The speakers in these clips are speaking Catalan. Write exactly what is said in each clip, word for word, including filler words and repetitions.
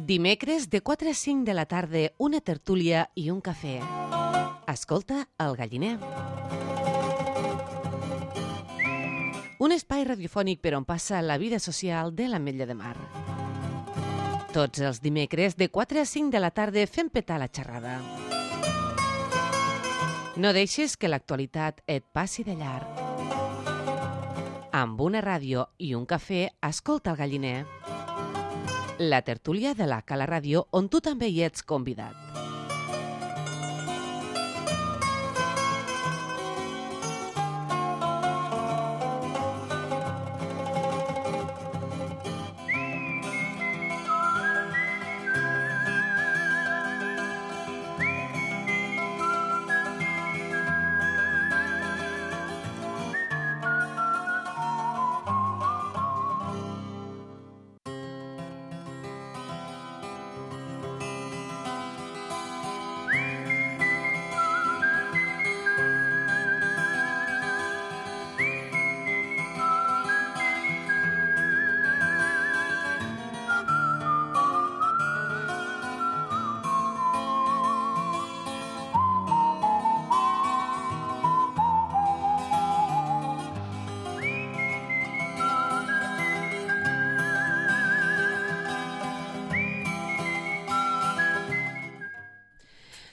Dimecres de quatre a cinc de la tarda, una tertúlia i un cafè. Escolta El Galliner. Un espai radiofònic per on passa la vida social de l'Ametlla de Mar. Tots els dimecres de quatre a cinc de la tarda fem petar la xerrada. No deixes que l'actualitat et passi de llarg. Amb una ràdio i un cafè, escolta El Galliner. La tertúlia de la Cala Ràdio, on tu també hi ets convidat.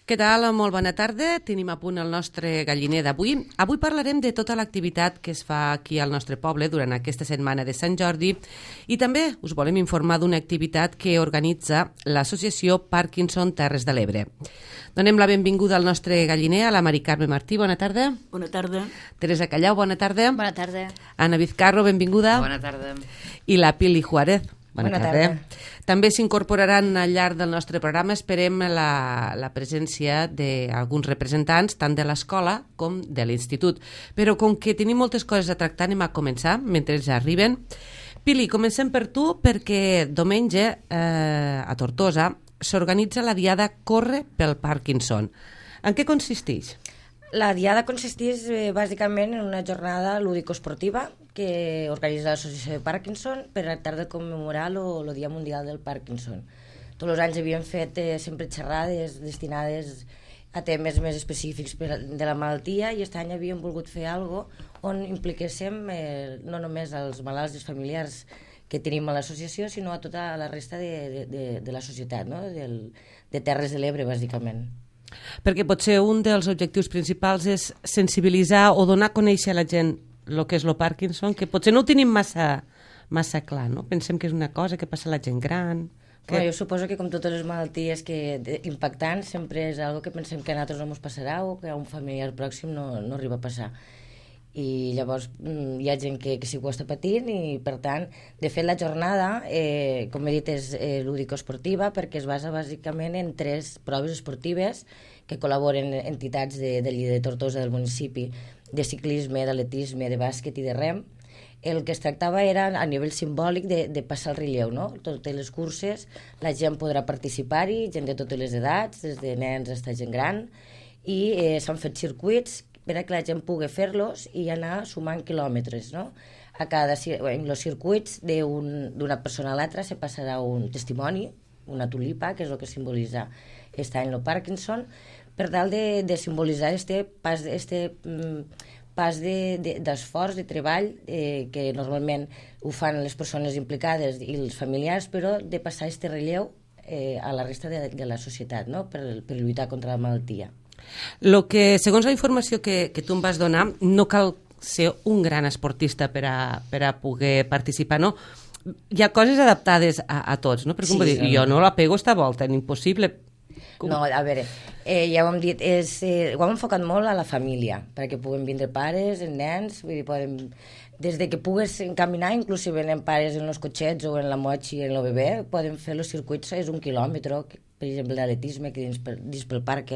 Què tal? Molt bona tarda. Tenim a punt el nostre galliner d'avui. Avui parlarem de tota l'activitat que es fa aquí al nostre poble durant aquesta setmana de Sant Jordi i també us volem informar d'una activitat que organitza l'associació Parkinson Terres de l'Ebre. Donem la benvinguda al nostre galliner, a la Mari Carme Martí. Bona tarda. Bona tarda. Teresa Callau, bona tarda. Bona tarda. Anna Vizcarro, benvinguda. Bona tarda. I la Pili Juárez. Bona, Bona tarda. tarda. També s'incorporaran al llarg del nostre programa, esperem la, la presència d'alguns representants, tant de l'escola com de l'institut. Però com que tenim moltes coses a tractar, anem a començar, mentre ells arriben. Pili, comencem per tu, perquè diumenge eh, a Tortosa s'organitza la diada Corre pel Parkinson. En què consisteix? La diada consisteix eh, bàsicament en una jornada lúdico-esportiva que organitza l'associació de Parkinson per tractar de commemorar el Dia Mundial del Parkinson. Tots els anys havíem fet eh, sempre xerrades destinades a temes més específics per, de la malaltia i aquest any havíem volgut fer alguna cosa on impliquéssim eh, no només els malalts i els familiars que tenim a l'associació, sinó a tota la resta de, de, de, de la societat, no? Del, de Terres de l'Ebre, bàsicament. Perquè potser un dels objectius principals és sensibilitzar o donar a conèixer a la gent el que és el Parkinson, que potser no ho tenim massa, massa clar, no? Pensem que és una cosa que passa a la gent gran. Que... Bueno, jo suposo que com totes les malalties que, de, impactants sempre és algo que pensem que a nosaltres no ens passarà o que a un familiar pròxim no, no arriba a passar. I llavors hi ha gent que, que sí que ho està patint i per tant, de fet la jornada eh, com he dit és eh, lúdico-esportiva perquè es basa bàsicament en tres proves esportives que col·laboren entitats de, de Lleida de Tortosa del municipi de ciclisme, d'atletisme, de bàsquet i de rem. El que es tractava era a nivell simbòlic de, de passar el relleu, no? Totes les curses la gent podrà participar-hi, gent de totes les edats, des de nens fins a gent gran, i eh, s'han fet circuits per a que la gent pugui fer-los i anar sumant quilòmetres, no? A cada, en els circuits d'una persona a l'altra se passarà un testimoni, una tulipa, que és el que simbolitza aquest any el Parkinson, per tal de, de simbolitzar este pas, este, mm, pas d'esforç, de, de, de treball, eh, que normalment ho fan les persones implicades i els familiars, però de passar este relleu eh, a la resta de, de la societat, no? per, per lluitar contra la malaltia. Lo que, segons la informació que, que tu em vas donar, no cal ser un gran esportista per a, per a poder participar, no? Hi ha coses adaptades a, a tots, no? Per exemple, sí, jo no la pego esta volta, impossible. Com? No, a veure, eh, ja ho hem dit, és, eh, ho hem enfocat molt a la família, perquè puguen vindre pares, nens, vull dir, poden, des de que pugues caminar, inclusive en pares en els cotxets o en la motxa i en el bebè, poden fer els circuits, és un quilòmetre, per exemple, d'atletisme, que dins, per, dins pel parc,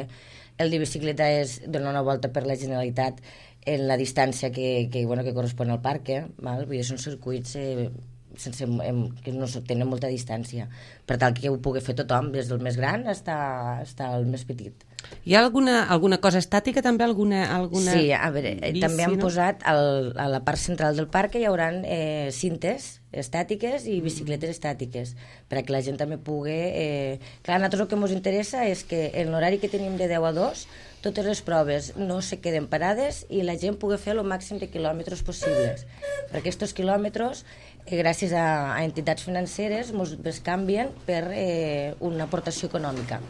el de bicicleta és donar una volta per la Generalitat en la distància que, que, bueno, que correspon al parc, eh? Val? Vull dir, són circuits eh, sense, em, que no tenen molta distància, per tal que ho pugui fer tothom, des del més gran fins al més petit. Hi ha alguna, alguna cosa estàtica també? Alguna, alguna sí, a veure, bici, també han no? posat al, a la part central del parc hi haurà eh, cintes estàtiques i bicicletes estàtiques perquè la gent també pugui... Eh... Clar, a nosaltres el que ens interessa és que en l'horari que tenim de deu a dos totes les proves no se queden parades i la gent pugui fer el màxim de quilòmetres possibles. Per aquests quilòmetres, eh, gràcies a, a entitats financeres, ens canvien per eh, una aportació econòmica.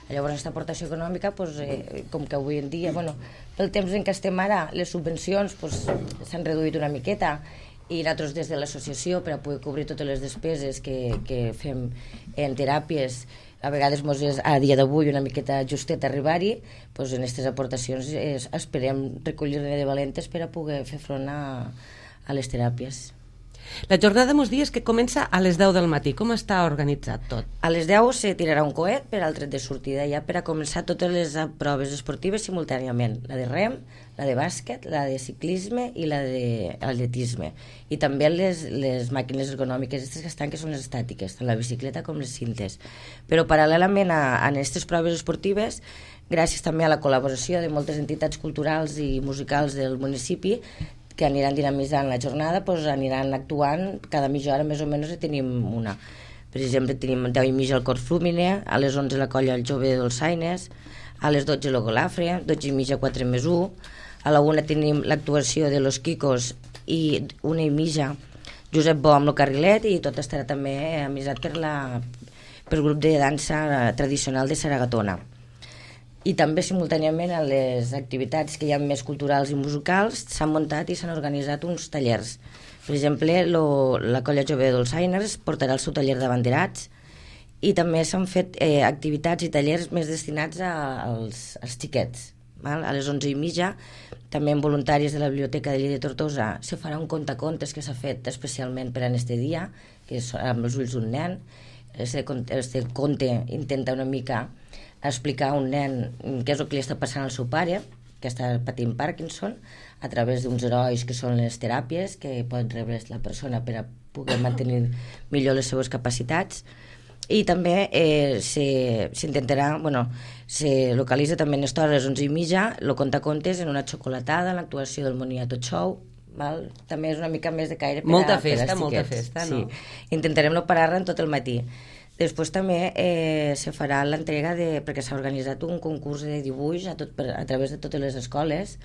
Llavors, aquesta aportació econòmica, doncs, eh, com que avui en dia, bueno, pel temps en què estem ara, les subvencions s'han doncs, reduït una miqueta i nosaltres des de l'associació, per a poder cobrir totes les despeses que, que fem en teràpies, a vegades mos és a dia d'avui una miqueta justet arribar-hi, doncs en aquestes aportacions es, esperem recollir-ne de valentes per a poder fer front a, a les teràpies. La jornada mos dies que comença a les deu del matí. Com està organitzat tot? A les deu se tirarà un coet per al tret de sortida ja per a començar totes les proves esportives simultàniament. La de rem, la de bàsquet, la de ciclisme i la d'atletisme. I també les, les màquines ergonòmiques aquestes que estan, que són les estàtiques, tant la bicicleta com les cintes. Però paral·lelament a, a aquestes proves esportives, gràcies també a la col·laboració de moltes entitats culturals i musicals del municipi, que aniran dinamitzant la jornada, doncs aniran actuant cada mitja hora més o menys tenim una. Per exemple, tenim deu i mitja el Cor Flúmine, a les onze la colla el Jove de Dolçaines, a les dotze el Golafre, dotze i mitja quatre més u, a la una tenim l'actuació de Los Quicos i una i mitja Josep Bo amb el carrilet i tot estarà també amisat per la per grup de dansa tradicional de Saragatona. I també simultàniament a les activitats que hi ha més culturals i musicals s'han muntat i s'han organitzat uns tallers. Per exemple, lo, la colla Jove de Dolçaines portarà el seu taller de banderats i també s'han fet eh, activitats i tallers més destinats a, als, als xiquets. Val? A les onze i mitja, també en voluntaris de la Biblioteca de Lleida de Tortosa, se farà un contacontes que s'ha fet especialment per a este dia, que és amb els ulls d'un nen. Este, este conte intenta una mica explicar a un nen què és el que li està passant al seu pare, que està patint Parkinson, a través d'uns herois que són les teràpies que pot rebre la persona per a poder mantenir millor les seves capacitats. I també eh, s'intentarà, bueno, se localitza també en l'hora a les onze i mitja, el contacontes en una xocolatada, l'actuació del Moniato Show, val? També és una mica més de caire per molta a, festa, per molta festa, no? Sí. Intentarem no parar-ne tot el matí. Després també eh, se farà l'entrega de... perquè s'ha organitzat un concurs de dibuix a, tot, per, a través de totes les escoles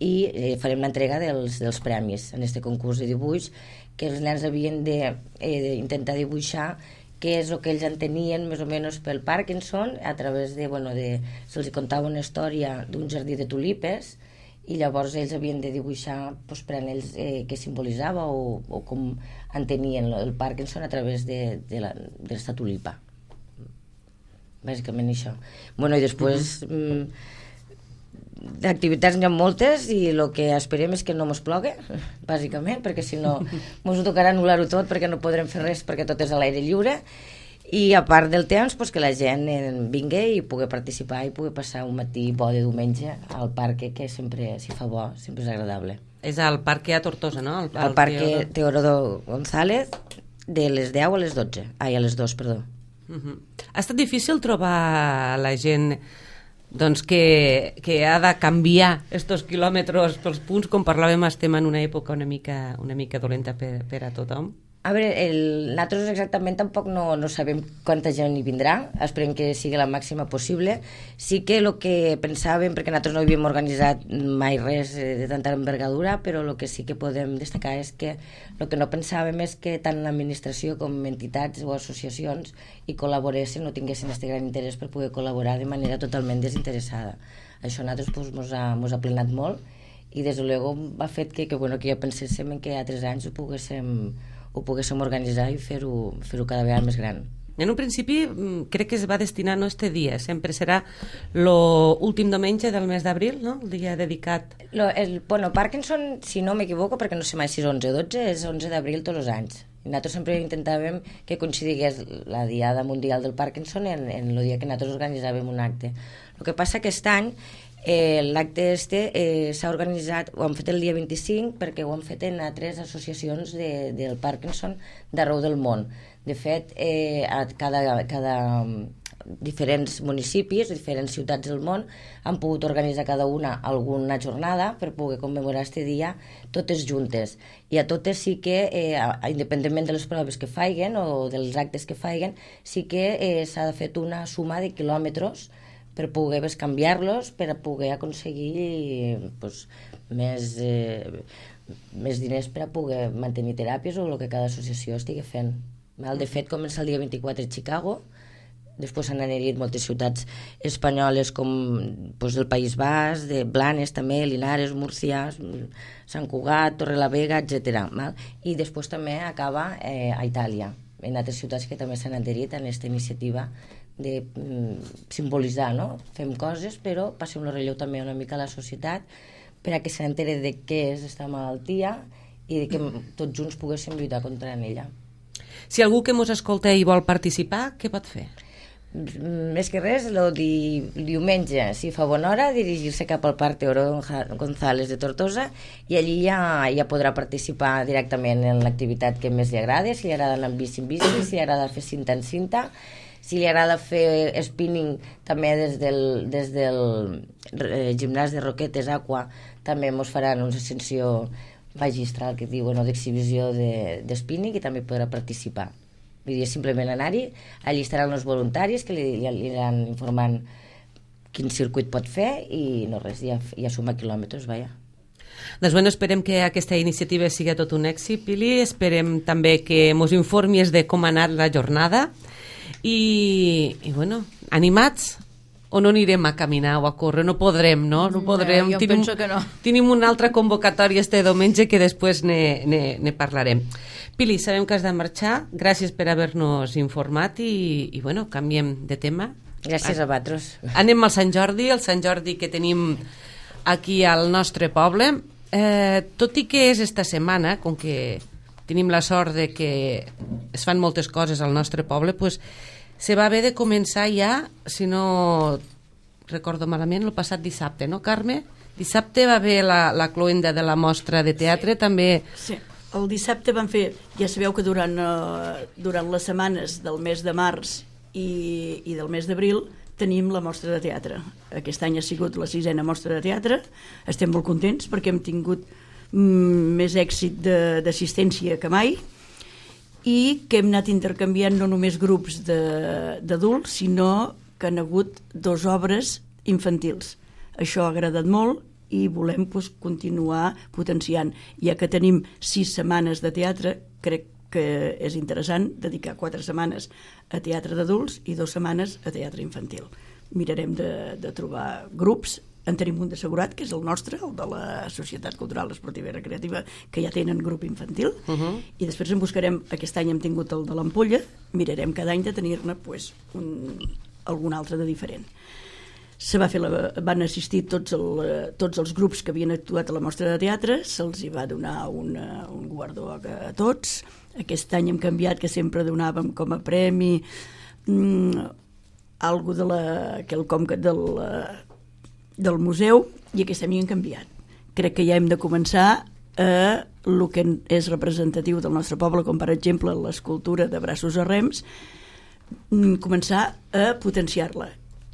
i eh, farem l'entrega dels, dels premis en aquest concurs de dibuix, que els nens havien d'intentar eh, dibuixar què és el que ells entenien més o menys pel Parkinson a través de... Bueno, de se'ls contava una història d'un jardí de tulipes i llavors ells havien de dibuixar doncs, per a ells eh, què simbolitzava o, o com entenien el Parkinson a través de, de la, de esta tulipa. Bàsicament això. Bueno, i després uh -huh. mm, d'activitats n'hi ha moltes i el que esperem és que no mos plogui, bàsicament, perquè si no mos tocarà anul·lar-ho tot perquè no podrem fer res perquè tot és a l'aire lliure. I a part del temps, pues, que la gent vingui i pugui participar i pugui passar un matí bo de diumenge al parc, que sempre, si fa bo, sempre és agradable. És al parc a Tortosa, no? Al, al parc Teodoro González, de les deu a les dotze. Ai, a les dos, perdó. Uh -huh. Ha estat difícil trobar la gent doncs, que, que ha de canviar estos quilòmetres pels punts, com parlàvem, estem en una època una mica, una mica dolenta per, per a tothom? A veure, el, nosaltres exactament tampoc no, no sabem quanta gent hi vindrà, esperem que sigui la màxima possible. Sí que el que pensàvem, perquè nosaltres no havíem organitzat mai res de tanta envergadura, però el que sí que podem destacar és que el que no pensàvem és que tant l'administració com entitats o associacions hi col·laboressin o tinguessin aquest gran interès per poder col·laborar de manera totalment desinteressada. Això a nosaltres pues, mos, ha, mos ha plenat molt i des de luego ha fet que, que, bueno, que ja penséssim en que a tres anys ho poguéssim ho poguéssim organitzar i fer-ho fer-ho cada vegada més gran. En un principi crec que es va destinar no este dia, sempre serà l'últim diumenge del mes d'abril, no? El dia dedicat. Lo, el, bueno, Parkinson, si no m'equivoco, perquè no sé mai si és onze o dotze, és onze d'abril tots els anys. I nosaltres sempre intentàvem que coincidigués la Diada Mundial del Parkinson en, en el dia que nosaltres organitzàvem un acte. El que passa que aquest any Eh, l'acte este eh, s'ha organitzat, ho han fet el dia vint-i-cinc perquè ho han fet en altres associacions de, del Parkinson d'arreu del món. De fet, eh, a cada, cada diferents municipis, diferents ciutats del món, han pogut organitzar cada una alguna jornada per poder commemorar este dia totes juntes. I a totes sí que, eh, independentment de les proves que faiguen o dels actes que faiguen, sí que eh, s'ha fet una suma de quilòmetres per poder canviar-los, per poder aconseguir pues, més, eh, més diners per a poder mantenir teràpies o el que cada associació estigui fent. De fet, comença el dia vint-i-quatre a Chicago, després s'han anat moltes ciutats espanyoles com pues, del País Basc, de Blanes també, Linares, Múrcia, Sant Cugat, Torrelavega, etcètera. I després també acaba eh, a Itàlia, en altres ciutats que també s'han adherit a aquesta iniciativa de mm, simbolitzar, no? Fem coses, però passem el relleu també una mica a la societat per a que s'entere de què és aquesta malaltia i de que tots junts poguéssim lluitar contra ella. Si algú que mos escolta i vol participar, què pot fer? Més que res, el di, diumenge, si fa bona hora, dirigir-se cap al Parc Teodoro González de Tortosa i allí ja, ja podrà participar directament en l'activitat que més li agrada, si li agrada anar amb bici en bici, si li agrada fer cinta en cinta, si li agrada fer spinning també des del, des del eh, gimnàs de Roquetes Aqua, també mos faran una ascensió magistral que diuen o d'exhibició de, de spinning i també podrà participar. Vull dir, simplement anar-hi, allí estaran els voluntaris que li, li aniran informant quin circuit pot fer i no res, ja, ja suma quilòmetres, vaja. Doncs bueno, esperem que aquesta iniciativa sigui tot un èxit, Pili, esperem també que mos informis de com ha anat la jornada i, i bueno, animats o no anirem a caminar o a córrer, no podrem, no? No podrem. Eh, jo tenim, penso que no. Tenim una altra convocatòria este diumenge que després ne, ne, ne parlarem. Pili, sabem que has de marxar, gràcies per haver-nos informat i, i bueno, canviem de tema. Gràcies a vosaltres. Anem al Sant Jordi, el Sant Jordi que tenim aquí al nostre poble. Eh, tot i que és esta setmana, com que tenim la sort de que es fan moltes coses al nostre poble, pues, se va haver de començar ja, si no recordo malament, el passat dissabte, no, Carme? Dissabte va haver la, la cloenda de la mostra de teatre, sí. També... Sí, el dissabte van fer, ja sabeu que durant, uh, durant les setmanes del mes de març i, i del mes d'abril tenim la mostra de teatre. Aquest any ha sigut la sisena mostra de teatre, estem molt contents perquè hem tingut mm, més èxit d'assistència que mai, i que hem anat intercanviant no només grups d'adults, sinó que han hagut dos obres infantils. Això ha agradat molt i volem pues, continuar potenciant. Ja que tenim sis setmanes de teatre, crec que és interessant dedicar quatre setmanes a teatre d'adults i dues setmanes a teatre infantil. Mirarem de, de trobar grups. En tenim un d'assegurat, que és el nostre, el de la Societat Cultural, Esportiva i Recreativa, que ja tenen grup infantil, uh-huh. I després en buscarem, aquest any hem tingut el de l'Ampolla, mirarem cada any de tenir-ne pues, un, algun altre de diferent. Se va fer la, van assistir tots, el, tots els grups que havien actuat a la mostra de teatre, se'ls hi va donar una, un guardó a, a tots. Aquest any hem canviat, que sempre donàvem com a premi mm, algo de la, quelcom del... del museu, i aquest any han canviat. Crec que ja hem de començar a el que és representatiu del nostre poble, com per exemple l'escultura de braços a rems, començar a potenciar-la.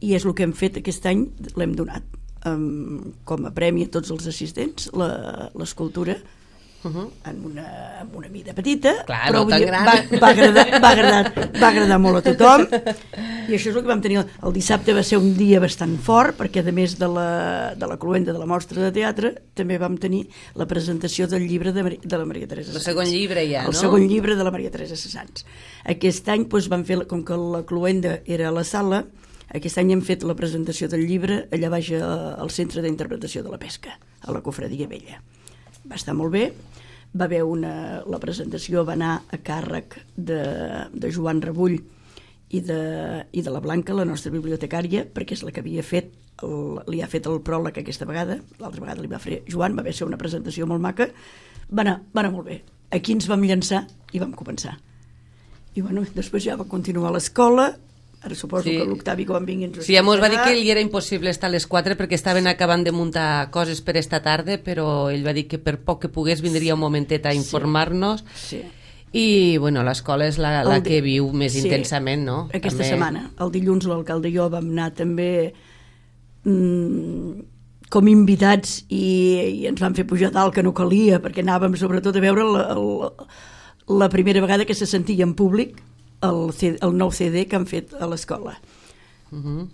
I és el que hem fet aquest any, l'hem donat um, com a premi a tots els assistents, l'escultura, Uh-huh. en, una, en una mida petita. Clar, però no tan gran. Va, va, agradar, va, agradar, va agradar molt a tothom i això és el que vam tenir. El dissabte va ser un dia bastant fort perquè a més de la, de la cloenda de la mostra de teatre també vam tenir la presentació del llibre de, de la Maria Teresa Sans. El segon llibre ja, el no? El segon llibre de la Maria Teresa Sans. Aquest any doncs, vam fer, com que la cloenda era a la sala, aquest any hem fet la presentació del llibre allà baix al Centre d'Interpretació de la Pesca, a la Cofradia Vella. Va estar molt bé. Va haver una, la presentació va anar a càrrec de, de Joan Rebull i de, i de la Blanca, la nostra bibliotecària, perquè és la que havia fet el, li ha fet el pròleg aquesta vegada, l'altra vegada li va fer Joan, va haver ser una presentació molt maca, va anar, va anar molt bé. Aquí ens vam llançar i vam començar. I bueno, després ja va continuar l'escola. Ara suposo sí. que l'Octavi quan vingui ens ho sí, ja mos va dir que li era impossible estar a les quatre perquè estaven acabant de muntar coses per esta tarda, però ell va dir que per poc que pogués vindria un momentet a informar-nos. Sí. Sí. I, bueno, l'escola és la, la El di- que viu més sí, intensament, no? Aquesta També... setmana. El dilluns l'alcalde i jo vam anar també mm, com invitats i, i ens van fer pujar dalt que no calia, perquè anàvem sobretot a veure la, la, la primera vegada que se sentia en públic el, C, el nou C D que han fet a l'escola. Uh -huh.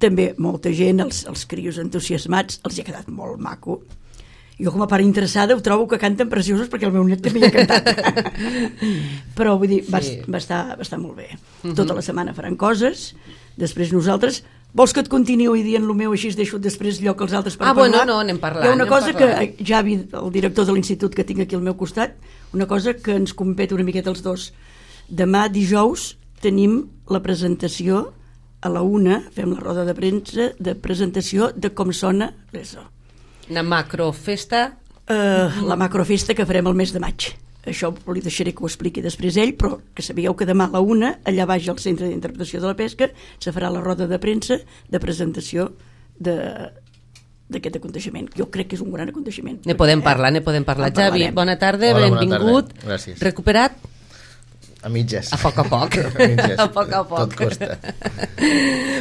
També molta gent, els, els crios entusiasmats, els hi ha quedat molt maco. Jo com a part interessada ho trobo que canten preciosos perquè el meu net també hi ha cantat. Però vull dir, va, Sí. va, estar, va estar molt bé. Uh-huh. Tota la setmana faran coses, després nosaltres... Vols que et continuï dient el meu, així es deixo després lloc als altres per Ah, parlar? bueno, no, anem parlant, Hi ha una anem cosa parlant. que Javi, el director de l'institut que tinc aquí al meu costat, una cosa que ens compet una miqueta els dos. Demà, dijous, tenim la presentació a la una, fem la roda de premsa de presentació de com sona l'ESO. Una macrofesta. Uh, la macrofesta que farem el mes de maig. Això li deixaré que ho expliqui després ell, però que sabíeu que demà a la una, allà baix al Centre d'Interpretació de la Pesca, se farà la roda de premsa de presentació de d'aquest aconteixement. Jo crec que és un gran aconteixement. Ne podem parlar, ne podem parlar. En Javi, parlarem. bona tarda, Hola, bona benvingut. tarda. Gràcies. Recuperat? A mitges. A poc a poc. A mitges. A poc a poc. Tot costa.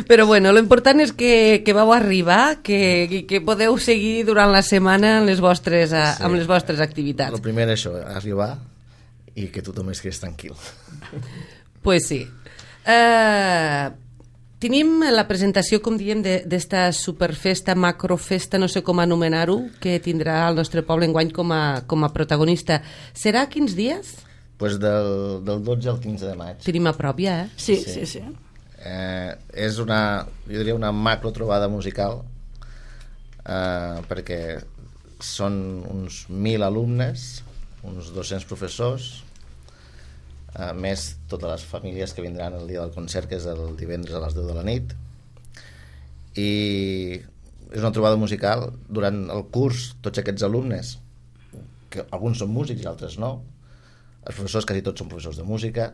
Però bueno, lo important és que, que vau arribar, que, que podeu seguir durant la setmana amb les vostres, sí. amb les vostres activitats. El primer això, arribar i que tothom es quedés tranquil. Pues sí. Uh, tenim la presentació, com diem, d'esta superfesta, macrofesta, no sé com anomenar-ho, que tindrà el nostre poble enguany com a, com a protagonista. Serà quins dies? Pues del, del dotze al quinze de maig. Tenim a prop ja, eh? Sí, sí, sí. sí. Eh, és una, jo diria una macro trobada musical, eh, perquè són uns mil alumnes, uns dos-cents professors, eh, més totes les famílies que vindran el dia del concert, que és el divendres a les deu de la nit. I és una trobada musical. Durant el curs, tots aquests alumnes, que alguns són músics i altres no, els professors, quasi tots són professors de música,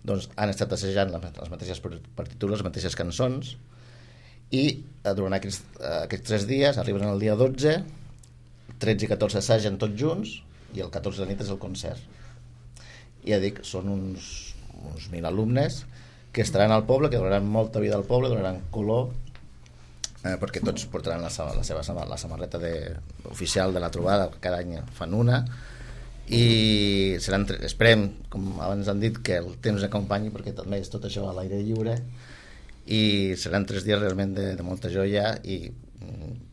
doncs han estat assajant les mateixes partitures, les mateixes cançons, i eh, durant aquests, eh, aquests tres dies arriben el dia dotze, tretze i catorze assagen tots junts, i el catorze de la nit és el concert. I ja dic, són uns, uns mil alumnes que estaran al poble, que donaran molta vida al poble, donaran color, eh, perquè tots portaran la, la seva la samarreta de, oficial de la trobada, que cada any fan una, i seran, esperem, com abans han dit, que el temps acompanyi, perquè també és tot això a l'aire lliure, i seran tres dies realment de, de molta joia, i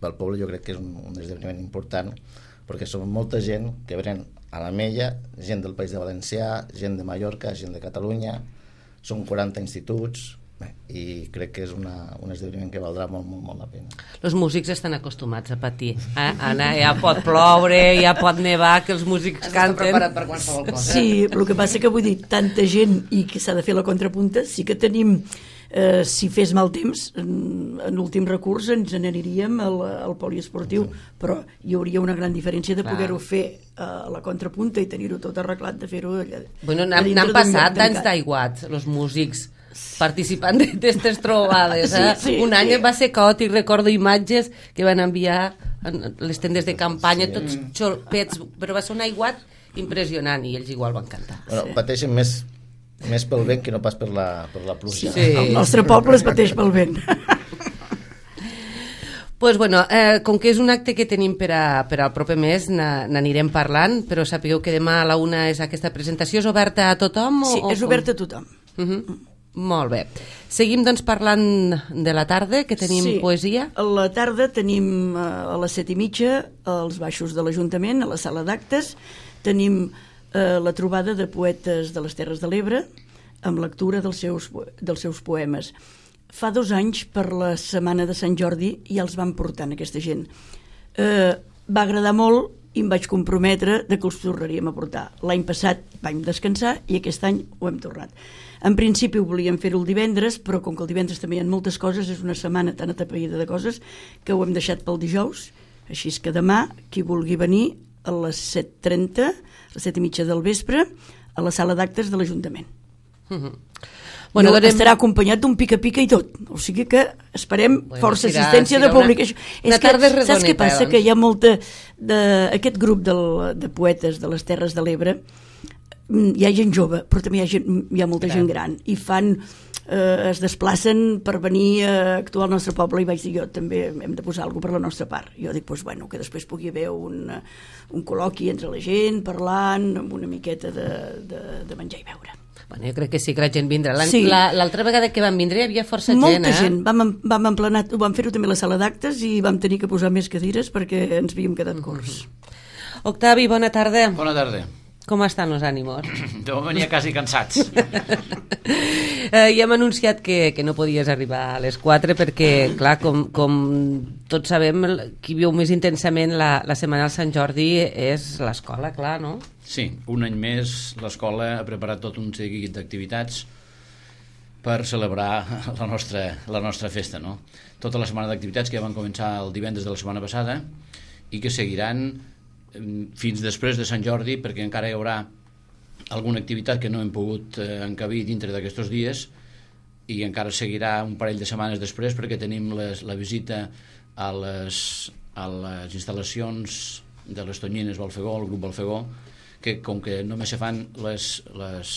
pel poble jo crec que és un, un esdeveniment important, perquè som molta gent que venen a l'Ametlla, gent del País de Valencià, gent de Mallorca, gent de Catalunya, són quaranta instituts, bé, i crec que és una, un esdeveniment que valdrà molt, molt, molt la pena. Els músics estan acostumats a patir. Eh? Anna, ja pot ploure, ja pot nevar, que els músics canten. Preparat per qualsevol cosa. Sí, el que passa que vull dir, tanta gent i que s'ha de fer la contrapunta, sí que tenim, eh, si fes mal temps, en, en últim recurs ens n'aniríem al, al poliesportiu, sí. Però hi hauria una gran diferència de poder-ho fer a la contrapunta i tenir-ho tot arreglat, de fer-ho allà. Bueno, n'han passat anys d'aiguats, els músics participant d'aquestes trobades. Eh? Sí, sí, un any sí. va ser caòtic, recordo imatges que van enviar en les tendes de campanya, sí. Tots xolpets, però va ser un aiguat impressionant i ells igual van cantar. Bueno, pateixen més, més pel vent que no pas per la, per la pluja. Sí. El nostre poble es pateix pel vent. Pues bueno, eh, com que és un acte que tenim per, a, per al proper mes, n'anirem parlant, però sapigueu que demà a la una és aquesta presentació. És oberta a tothom? O, Sí, és o oberta a tothom. Uh -huh. Molt bé. Seguim doncs parlant de la tarda, que tenim sí, poesia. A la tarda tenim a les set i mitja als baixos de l'Ajuntament, a la sala d'actes, tenim eh, la trobada de poetes de les Terres de l'Ebre amb lectura dels seus, dels seus poemes. Fa dos anys, per la setmana de Sant Jordi, ja els van portant aquesta gent. Eh, va agradar molt i em vaig comprometre de que els tornaríem a portar. L'any passat vam descansar i aquest any ho hem tornat. En principi ho volíem fer-ho el divendres, però com que el divendres també hi ha moltes coses, és una setmana tan atapeïda de coses que ho hem deixat pel dijous, així és que demà, qui vulgui venir, a les set trenta, a les set i mitja del vespre, a la sala d'actes de l'Ajuntament. Uh-huh. Bueno, donem... Estarà acompanyat d'un pica-pica i tot, o sigui que esperem bueno, força serà, assistència serà de públic. Una, és una que, tarda redoneta, saps què passa? Doncs. Que hi ha molta... De, aquest grup del, de poetes de les Terres de l'Ebre hi ha gent jove, però també hi ha, gent, hi ha molta Gran. gent gran, i fan, eh, es desplacen per venir a actuar al nostre poble, i vaig dir, jo també hem de posar alguna cosa per la nostra part. Jo dic, doncs, bueno, que després pugui haver un, un col·loqui entre la gent, parlant, amb una miqueta de, de, de menjar i beure. Bueno, jo crec que sí que la gent vindrà. L'altra Sí. la, vegada que vam vindre hi havia força Molta gent, eh? gent. Vam, vam, emplenar, vam fer-ho també a la sala d'actes i vam tenir que posar més cadires perquè ens havíem quedat curts. Octavi, bona tarda. Bona tarda. Com estan els ànimos? De moment ja quasi cansats. eh, ja hem anunciat que, que no podies arribar a les quatre perquè, clar, com, com tots sabem, qui viu més intensament la, la setmana del Sant Jordi és l'escola, clar, no? Sí, un any més l'escola ha preparat tot un seguit d'activitats per celebrar la nostra, la nostra festa, no? Tota la setmana d'activitats que ja van començar el divendres de la setmana passada i que seguiran fins després de Sant Jordi, perquè encara hi haurà alguna activitat que no hem pogut eh, encabir dintre d'aquests dies, i encara seguirà un parell de setmanes després perquè tenim les, la visita a les, a les instal·lacions de les Tonyines Balfegó, el grup Balfegó, que com que només se fan les, les,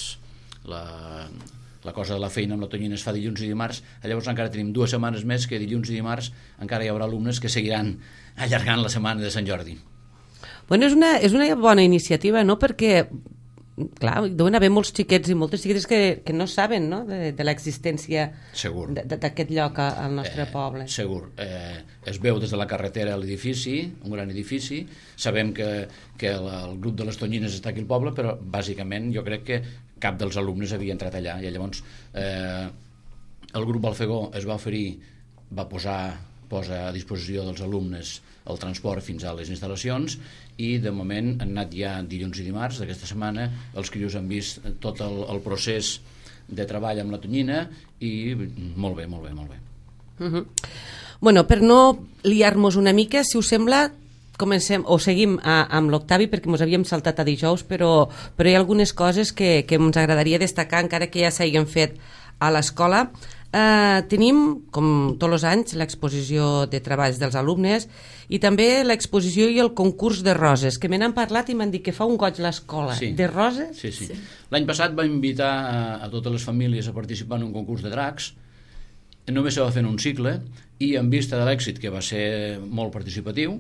la, la cosa de la feina amb la Tonyina es fa dilluns i dimarts, llavors encara tenim dues setmanes més que dilluns i dimarts encara hi haurà alumnes que seguiran allargant la setmana de Sant Jordi. Bueno, és una, és una bona iniciativa, no?, perquè, clar, deuen haver molts xiquets i moltes xiquetes que, que no saben, no?, de, de l'existència d'aquest lloc al nostre eh, poble. Segur. Eh, es veu des de la carretera a l'edifici, un gran edifici, sabem que, que el, el grup de les Tonyines està aquí al poble, però bàsicament jo crec que cap dels alumnes havia entrat allà, i llavors eh, el grup Balfegó es va oferir, va posar posa a disposició dels alumnes el transport fins a les instal·lacions, i de moment han anat ja dilluns i dimarts d'aquesta setmana, els crios han vist tot el, el procés de treball amb la Tonyina i molt bé, molt bé, molt bé. Uh-huh. Bueno, per no liar-nos una mica, si us sembla, comencem o seguim a, amb l'Octavi, perquè ens havíem saltat a dijous, però, però hi ha algunes coses que, que ens agradaria destacar, encara que ja s'hagin fet a l'escola. Uh, tenim, com tots els anys, l'exposició de treballs dels alumnes i també l'exposició i el concurs de roses, que me n'han parlat i m'han dit que fa un goig l'escola. Sí. De roses? Sí, sí. sí. L'any passat va invitar a, a totes les famílies a participar en un concurs de dracs. Només se va fer en un cicle i en vista de l'èxit, que va ser molt participatiu,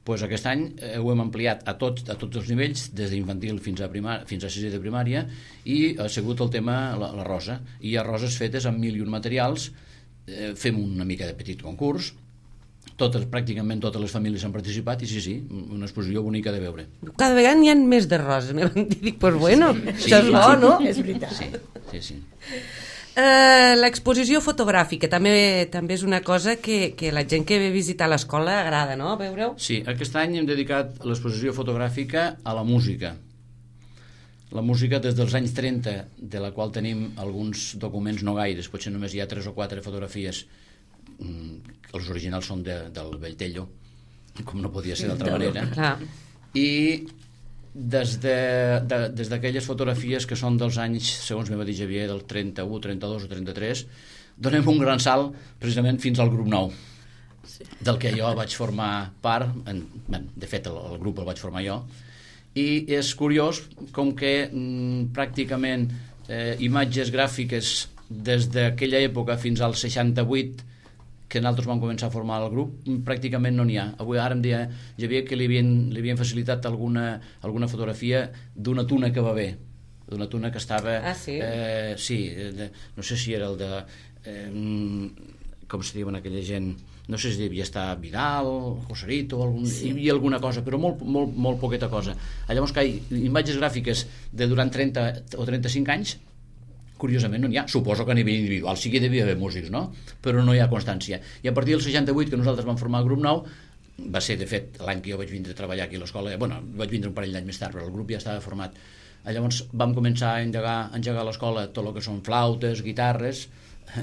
pues aquest any eh, ho hem ampliat a tots, a tots els nivells, des d'infantil fins a primar, fins a sisè de primària, i ha sigut el tema la, la rosa. I hi ha roses fetes amb mil i un materials, eh, fem una mica de petit concurs, totes, pràcticament totes les famílies han participat, i sí, sí, una exposició bonica de veure. Cada vegada n'hi ha més de roses. Me van dir, dic, pues bueno, Sí, això és sí, bo, sí. no? És veritat. Sí, sí, sí. Uh, l'exposició fotogràfica també també és una cosa que, que la gent que ve a visitar l'escola agrada, no?, veure-ho? Sí, aquest any hem dedicat l'exposició fotogràfica a la música. La música des dels anys trenta, de la qual tenim alguns documents no gaires, potser només hi ha tres o quatre fotografies, els originals són de, del Belltello, com no podia ser d'altra manera. Clar. I des de, de, des d'aquelles fotografies que són dels anys, segons me va dir Javier, del trenta-u, trenta-dos o trenta-tres, donem un gran salt precisament fins al grup nou, sí, del que jo vaig formar part, en, de fet el, el grup el vaig formar jo, i és curiós com que mm, pràcticament eh, imatges gràfiques des d'aquella època fins al seixanta-vuit, que nosaltres vam començar a formar el grup, pràcticament no n'hi ha. Avui ara em deia Javier que li havien, li havien facilitat alguna, alguna fotografia d'una tuna que va bé, d'una tuna que estava... Ah, sí? Eh, sí, de, no sé si era el de... Eh, com se diuen aquella gent... No sé si devia estar Vidal, Joserito, algun, sí, hi havia alguna cosa, però molt, molt, molt poqueta cosa. Llavors, que hi ha imatges gràfiques de durant trenta o trenta-cinc anys, curiosament no n'hi ha. Suposo que a nivell individual sí que hi devia haver músics, no? Però no hi ha constància. I a partir del seixanta-vuit, que nosaltres vam formar el grup nou, va ser, de fet, l'any que jo vaig vindre a treballar aquí a l'escola, bueno, vaig vindre un parell d'anys més tard, però el grup ja estava format. Llavors vam començar a engegar, a engegar a l'escola tot el que són flautes, guitarres.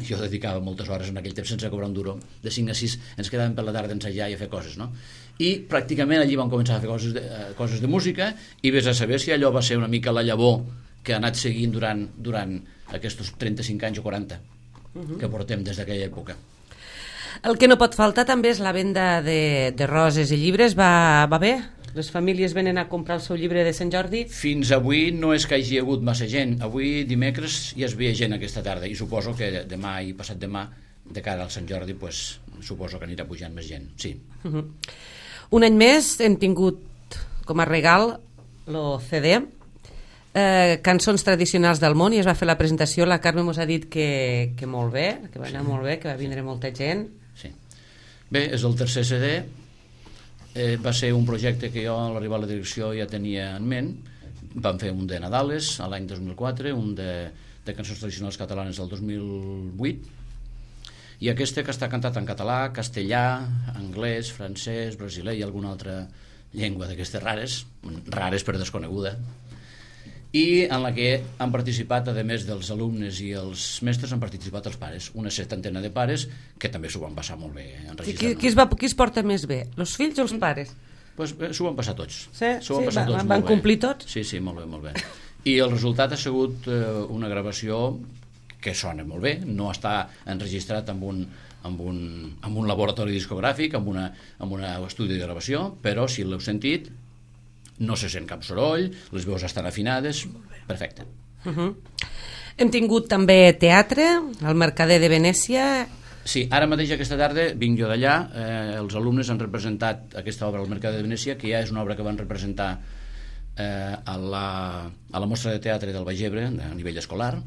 Jo dedicava moltes hores en aquell temps sense cobrar un duro. De cinc a sis ens quedàvem per la tarda a ensejar i a fer coses, no? I pràcticament allí vam començar a fer coses de, uh, coses de música, i vés a saber si allò va ser una mica la llavor que ha anat seguint durant, durant aquests trenta-cinc anys o quaranta uh-huh. que portem des d'aquella època. El que no pot faltar també és la venda de, de roses i llibres. Va, va bé Les famílies venen a comprar el seu llibre de Sant Jordi? Fins avui no és que hi hagi hagut massa gent. Avui, dimecres, ja es veia gent aquesta tarda i suposo que demà i passat demà, de cara al Sant Jordi, pues, suposo que anirà pujant més gent, sí. Uh-huh. Un any més hem tingut com a regal el C D, eh, Cançons tradicionals del món, i es va fer la presentació. La Carme mos ha dit que, que molt bé, que va anar molt bé, que va vindre molta gent. Sí. Bé, és el tercer C D. Eh, va ser un projecte que jo a l'arribar a la direcció ja tenia en ment. Vam fer un de Nadales a l'any dos mil quatre, un de, de cançons tradicionals catalanes del dos mil vuit, i aquesta que està cantat en català, castellà, anglès, francès, brasiler i alguna altra llengua d'aquestes rares, rares per desconeguda, i en la que han participat, a més dels alumnes i els mestres, han participat els pares, una setantena de pares que també s'ho van passar molt bé enregistrant. Qui, qui, es va, qui es porta més bé, els fills o els pares? Pues, eh, s'ho van passar tots. Sí, s'ho van, sí, passar va, tots van molt complir bé. tots? Sí, sí, molt bé, molt bé. I el resultat ha sigut eh, una gravació que sona molt bé, no està enregistrat amb un, amb un, amb un laboratori discogràfic, amb, una, amb un estudi de gravació, però si l'heu sentit no se sent cap soroll, les veus estan afinades, perfecte. Uh-huh. Hem tingut també teatre, al Mercader de Venècia. Sí, ara mateix aquesta tarda vinc jo d'allà, eh, els alumnes han representat aquesta obra al Mercader de Venècia, que ja és una obra que van representar eh, a, la, a la mostra de teatre del Baix Ebre a nivell escolar,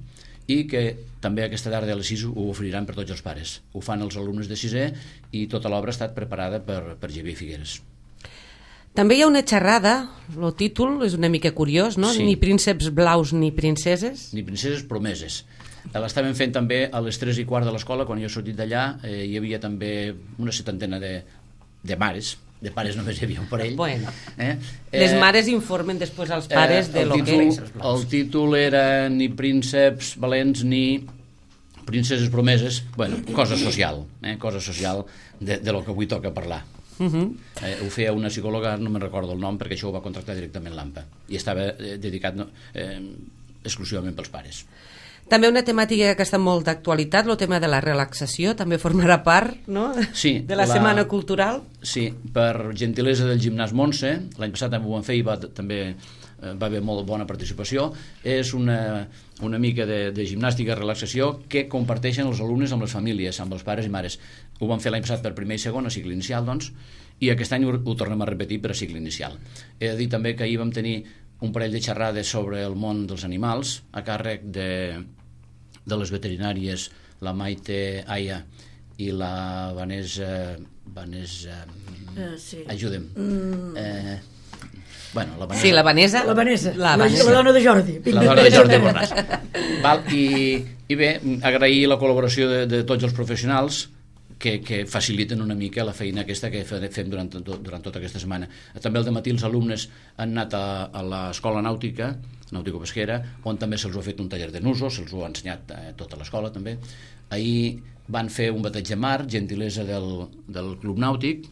i que també aquesta tarda a les sis ho oferiran per tots els pares. Ho fan els alumnes de sisè i tota l'obra ha estat preparada per, per Xavier Figueres. També hi ha una xerrada, el títol és una mica curiós, no? Sí. Ni prínceps blaus ni princeses. Ni princeses promeses. L'estaven fent també a les tres i quart de l'escola, quan jo he sortit d'allà, eh, hi havia també una setantena de, de mares, de pares només hi havia un parell. Bueno, eh? les Eh, mares informen després als pares eh, de lo títol, que... El títol era ni prínceps valents ni princeses promeses, bueno, cosa social, eh? cosa social de, de lo que avui toca parlar. Uh-huh. eh, ho feia una psicòloga, no me'n recordo el nom, perquè això ho va contractar directament l'AMPA i estava eh, dedicat no, eh, exclusivament pels pares. També una temàtica que està molt d'actualitat, el tema de la relaxació, també formarà part, no? Sí, de la, la Setmana Cultural. Sí, per gentilesa del Gimnàs Montse, l'any passat ho van fer i va, també eh, va haver molt bona participació. És una, una mica de, de gimnàstica, relaxació, que comparteixen els alumnes amb les famílies, amb els pares i mares. Ho van fer l'any passat per primer i segon, a cicle inicial, doncs, i aquest any ho, ho tornem a repetir per a cicle inicial. He de dir també que ahir vam tenir un parell de xerrades sobre el món dels animals, a càrrec de, de les veterinàries, la Maite Aya i la Vanessa... Vanessa... Uh, sí. Ajuda'm. Mm. Eh, bueno, la Vanessa... Sí, la Vanessa. La Vanessa, La, la, Vanessa. la dona de Jordi. La dona de Jordi Borràs. Val, i, I bé, agrair la col·laboració de, de tots els professionals que, que faciliten una mica la feina aquesta que fem durant, durant tota aquesta setmana. També al dematí els alumnes han anat a, a l'escola nàutica, nàutico-pesquera, on també se'ls ha fet un taller de nusos, se'ls ho ha ensenyat a tota l'escola també. Ahir van fer un bateig de mar, gentilesa del, del Club Nàutic.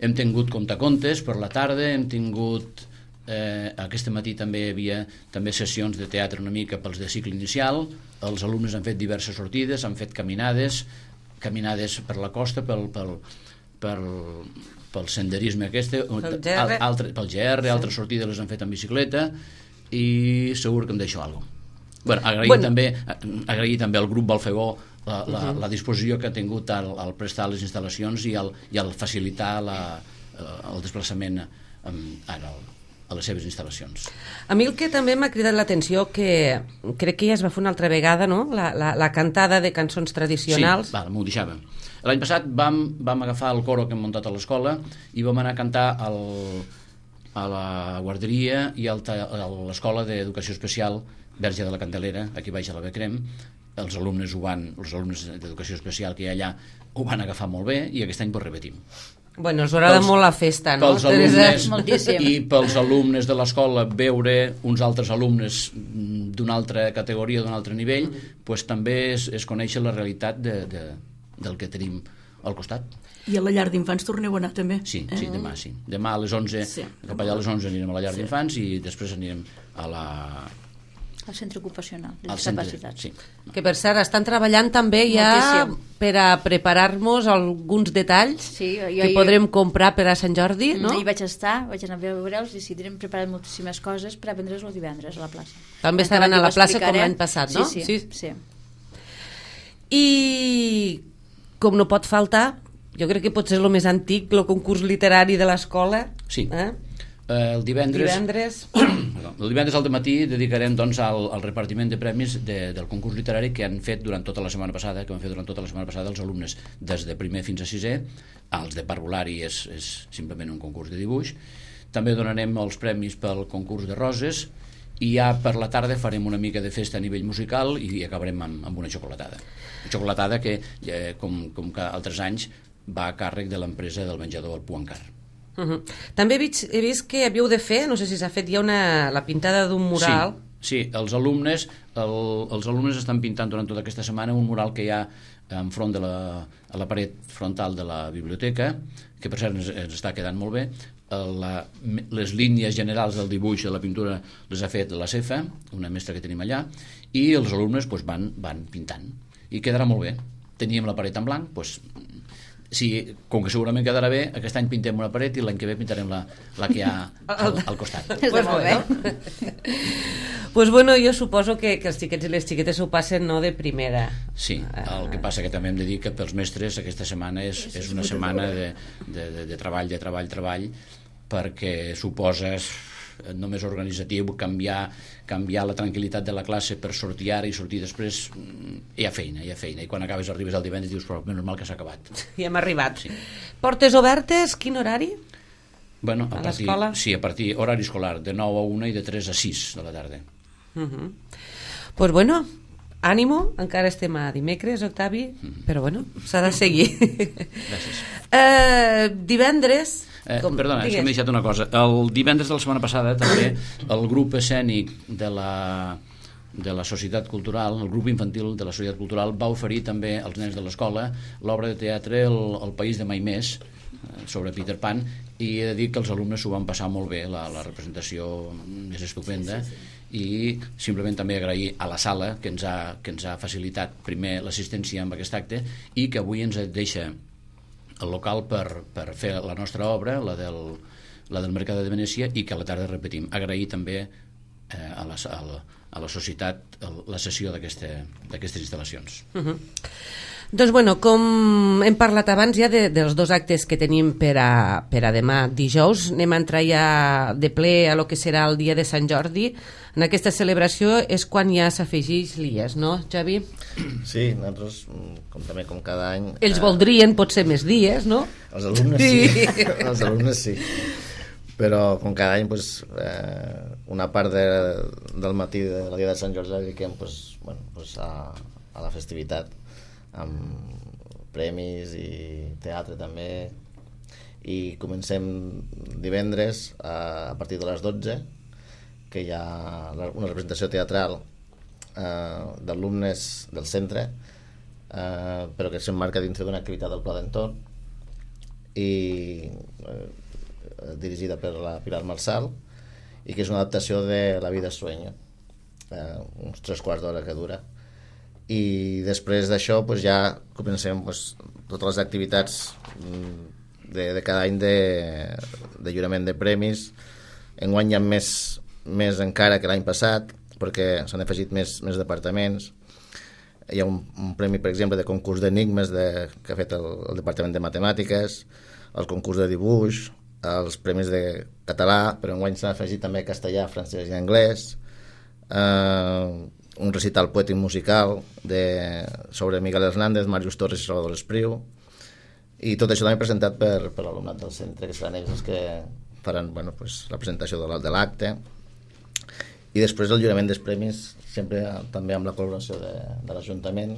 Hem tingut contacontes per la tarda, hem tingut... Eh, aquest matí també hi havia també sessions de teatre una mica pels de cicle inicial. Els alumnes han fet diverses sortides, han fet caminades, caminades per la costa, pel, pel, pel, pel senderisme aquest, Pel G R. altre, pel G R, sí. Altres sortides les han fet en bicicleta i segur que em deixo alguna cosa. Bueno, agrair, bueno. També, agrair també al grup Balfegó la, la, uh-huh. la disposició que ha tingut al, al prestar les instal·lacions i al, i al facilitar la, el desplaçament amb, ara, a les seves instal·lacions. A mi el que també m'ha cridat l'atenció, que crec que ja es va fer una altra vegada, no? La, la, la cantada de cançons tradicionals. Sí, val, m'ho deixava. L'any passat vam, vam agafar el coro que hem muntat a l'escola i vam anar a cantar al, a la guarderia i al, a l'escola d'educació especial Verge de la Candelera, aquí baix a la Becrem. Els alumnes ho van, els alumnes d'educació especial que hi ha allà ho van agafar molt bé i aquest any ho repetim. Bueno, us agrada molt la festa, no? Pels alumnes, Moltíssim. i pels alumnes de l'escola veure uns altres alumnes d'una altra categoria, d'un altre nivell, mm. pues, també és, és conèixer la realitat de, de, del que tenim al costat. I a la llar d'infants torneu a anar també? Sí, sí, eh? demà sí. Demà a les onze, sí. cap allà a les onze anirem a la llar sí. d'infants i després anirem a la... al centre ocupacional de Al centre, discapacitats. sí. Que per cert, estan treballant també ja Moltíssim. per a preparar-nos alguns detalls Sí, jo, que jo, podrem comprar per a Sant Jordi, no? Hi vaig estar, vaig anar a veure'ls i sí, tindrem preparat moltíssimes coses per a vendre's el divendres a la plaça. També Encara estaran a t'ho la plaça com explicaré. l'any passat, no? Sí, sí, sí. I com no pot faltar, jo crec que pot ser el més antic, el concurs literari de l'escola. Sí. Eh? Eh, el divendres, Divendres. Perdó, el divendres al matí dedicarem doncs, al, al repartiment de premis de, del concurs literari que han fet durant tota la setmana passada, que han fet durant tota la setmana passada els alumnes des de primer fins a sisè. Els de parvulari és, és simplement un concurs de dibuix. També donarem els premis pel concurs de roses i ja per la tarda farem una mica de festa a nivell musical i acabarem amb, amb una xocolatada. Una xocolatada que, eh, com, com que altres anys, va a càrrec de l'empresa del menjador El Puancar. Uh -huh. També he vist, he vist que havíeu de fer, no sé si s'ha fet ja una, la pintada d'un mural. Sí, sí, els alumnes el, els alumnes estan pintant durant tota aquesta setmana un mural que hi ha enfront de la, a la paret frontal de la biblioteca, que per cert ens, ens està quedant molt bé. La, les línies generals del dibuix de la pintura les ha fet la Cefa, una mestra que tenim allà, i els alumnes pues, van, van pintant i quedarà molt bé. Teníem la paret en blanc, doncs, sí, com que segurament quedarà bé, aquest any pintem una paret i l'any que ve pintarem la, la que hi ha al, al costat. Està Pues molt bé. bueno. Pues bueno, jo suposo que, que els xiquets i les xiquetes ho passen no de primera. Sí, el que passa que també hem de dir que pels mestres aquesta setmana és, és una setmana de, de, de, de treball, de treball, treball, perquè suposes només organitzatiu, canviar, canviar la tranquil·litat de la classe per sortir ara i sortir després, hi ha feina, hi ha feina, i quan acabes arribes al divendres dius, però menys mal que s'ha acabat. I hem arribat. Sí. Portes obertes, quin horari? Bueno, a, A partir, l'escola? sí, a partir horari escolar, de nou a una i de tres a sis de la tarda. Uh -huh. Pues bueno, ànimo, encara estem a dimecres, Octavi, uh -huh. però bueno, s'ha de seguir. Gràcies. uh, divendres... Eh, com, perdona, és digues. que m'he deixat una cosa. El divendres de la setmana passada també el grup escènic de la, de la Societat Cultural, el grup infantil de la Societat Cultural va oferir també als nens de l'escola l'obra de teatre El, el País de Mai Més, sobre Peter Pan, i he de dir que els alumnes s'ho van passar molt bé, la, la representació és estupenda, sí, sí, sí. I simplement també agrair a la sala que ens ha, que ens ha facilitat primer l'assistència amb aquest acte i que avui ens deixa el local per, per fer la nostra obra, la del, la del Mercat de Venècia, i que a la tarda repetim. Agrair també eh, a, la, a, la, a la societat la sessió d'aquestes instal·lacions. Uh -huh. Doncs bueno, com hem parlat abans ja de, dels dos actes que tenim per a, per a demà dijous, anem a entrar ja de ple a lo que serà el dia de Sant Jordi. En aquesta celebració és quan ja s'afegeix l'I E S, no, Xavi? Sí, nosaltres, com també com cada any... Ells eh, voldrien potser més dies, no? Els alumnes sí, sí. Els alumnes sí. Però com cada any pues, eh, una part de, del matí de la dia de Sant Jordi la dediquem pues, bueno, pues a, a la festivitat, amb premis i teatre també, i comencem divendres a, a partir de les dotze, que hi ha una representació teatral eh, d'alumnes del centre, eh, però que s'emmarca dintre d'una activitat del Pla d'Entorn i eh, dirigida per la Pilar Marsal, i que és una adaptació de La vida es sueño, eh, uns tres quarts d'hora que dura. I després d'això pues, ja comencem pues, totes les activitats de, de cada any de, de lliurament de premis. Enguany hi ha més, més encara que l'any passat, perquè s'han afegit més, més departaments. Hi ha un, un premi, per exemple, de concurs d'enigmes de, que ha fet el, el Departament de Matemàtiques, el concurs de dibuix, els premis de català, però enguany s'han afegit també castellà, francès i anglès, eh, un recital poètic musical de, sobre Miguel Hernández, Màrius Torres i Salvador Espriu, i tot això també presentat per, per l'alumnat del centre, que seran ells els que faran bueno, pues, la presentació de l'acte, i després el lliurament dels premis, sempre també amb la col·laboració de, de l'Ajuntament,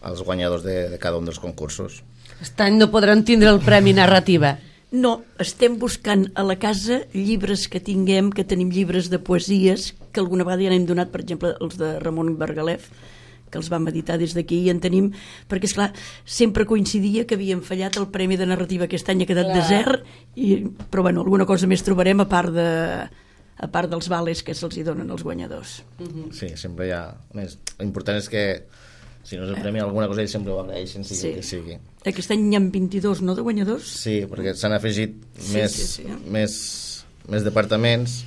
als guanyadors de, de cada un dels concursos. Aquest any no podran tindre el Premi Narrativa. No, estem buscant a la casa llibres que tinguem, que tenim llibres de poesies, que alguna vegada ja n'hem donat, per exemple, els de Ramon Bergalef, que els vam editar des d'aquí, i en tenim, perquè, esclar, sempre coincidia que havíem fallat el Premi de Narrativa aquest any, ha quedat Clar. desert, i, però bueno, alguna cosa més trobarem a part de, a part dels vales que se'ls hi donen als guanyadors. Uh-huh. Sí, sempre hi ha... A més, l'important és que si no és el premi, alguna cosa ells sempre ho agraeixen, sigui Sí. el que sigui. Aquest any hi ha vint-i-dos, no?, de guanyadors? Sí, perquè s'han afegit Sí, més, sí, sí. més, més departaments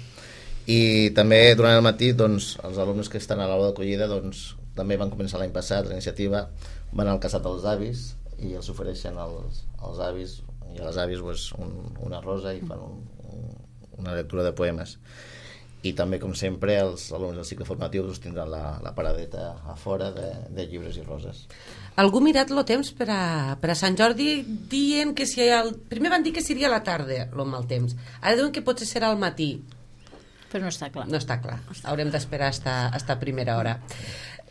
i també durant el matí doncs, els alumnes que estan a l'aula d'acollida doncs, també van començar l'any passat la iniciativa, van al casat dels avis i els ofereixen als, als avis i a les àvies pues, un, una rosa i fan un, un, una lectura de poemes. I també, com sempre, els alumnes del cicle formatiu doncs, tindran la, la paradeta a fora de, de llibres i roses. Algú ha mirat el temps per a, per a Sant Jordi dient que si el... primer van dir que seria a la tarda el mal temps, ara diuen que potser serà al matí. Però no està clar. No està clar, haurem d'esperar hasta, hasta primera hora.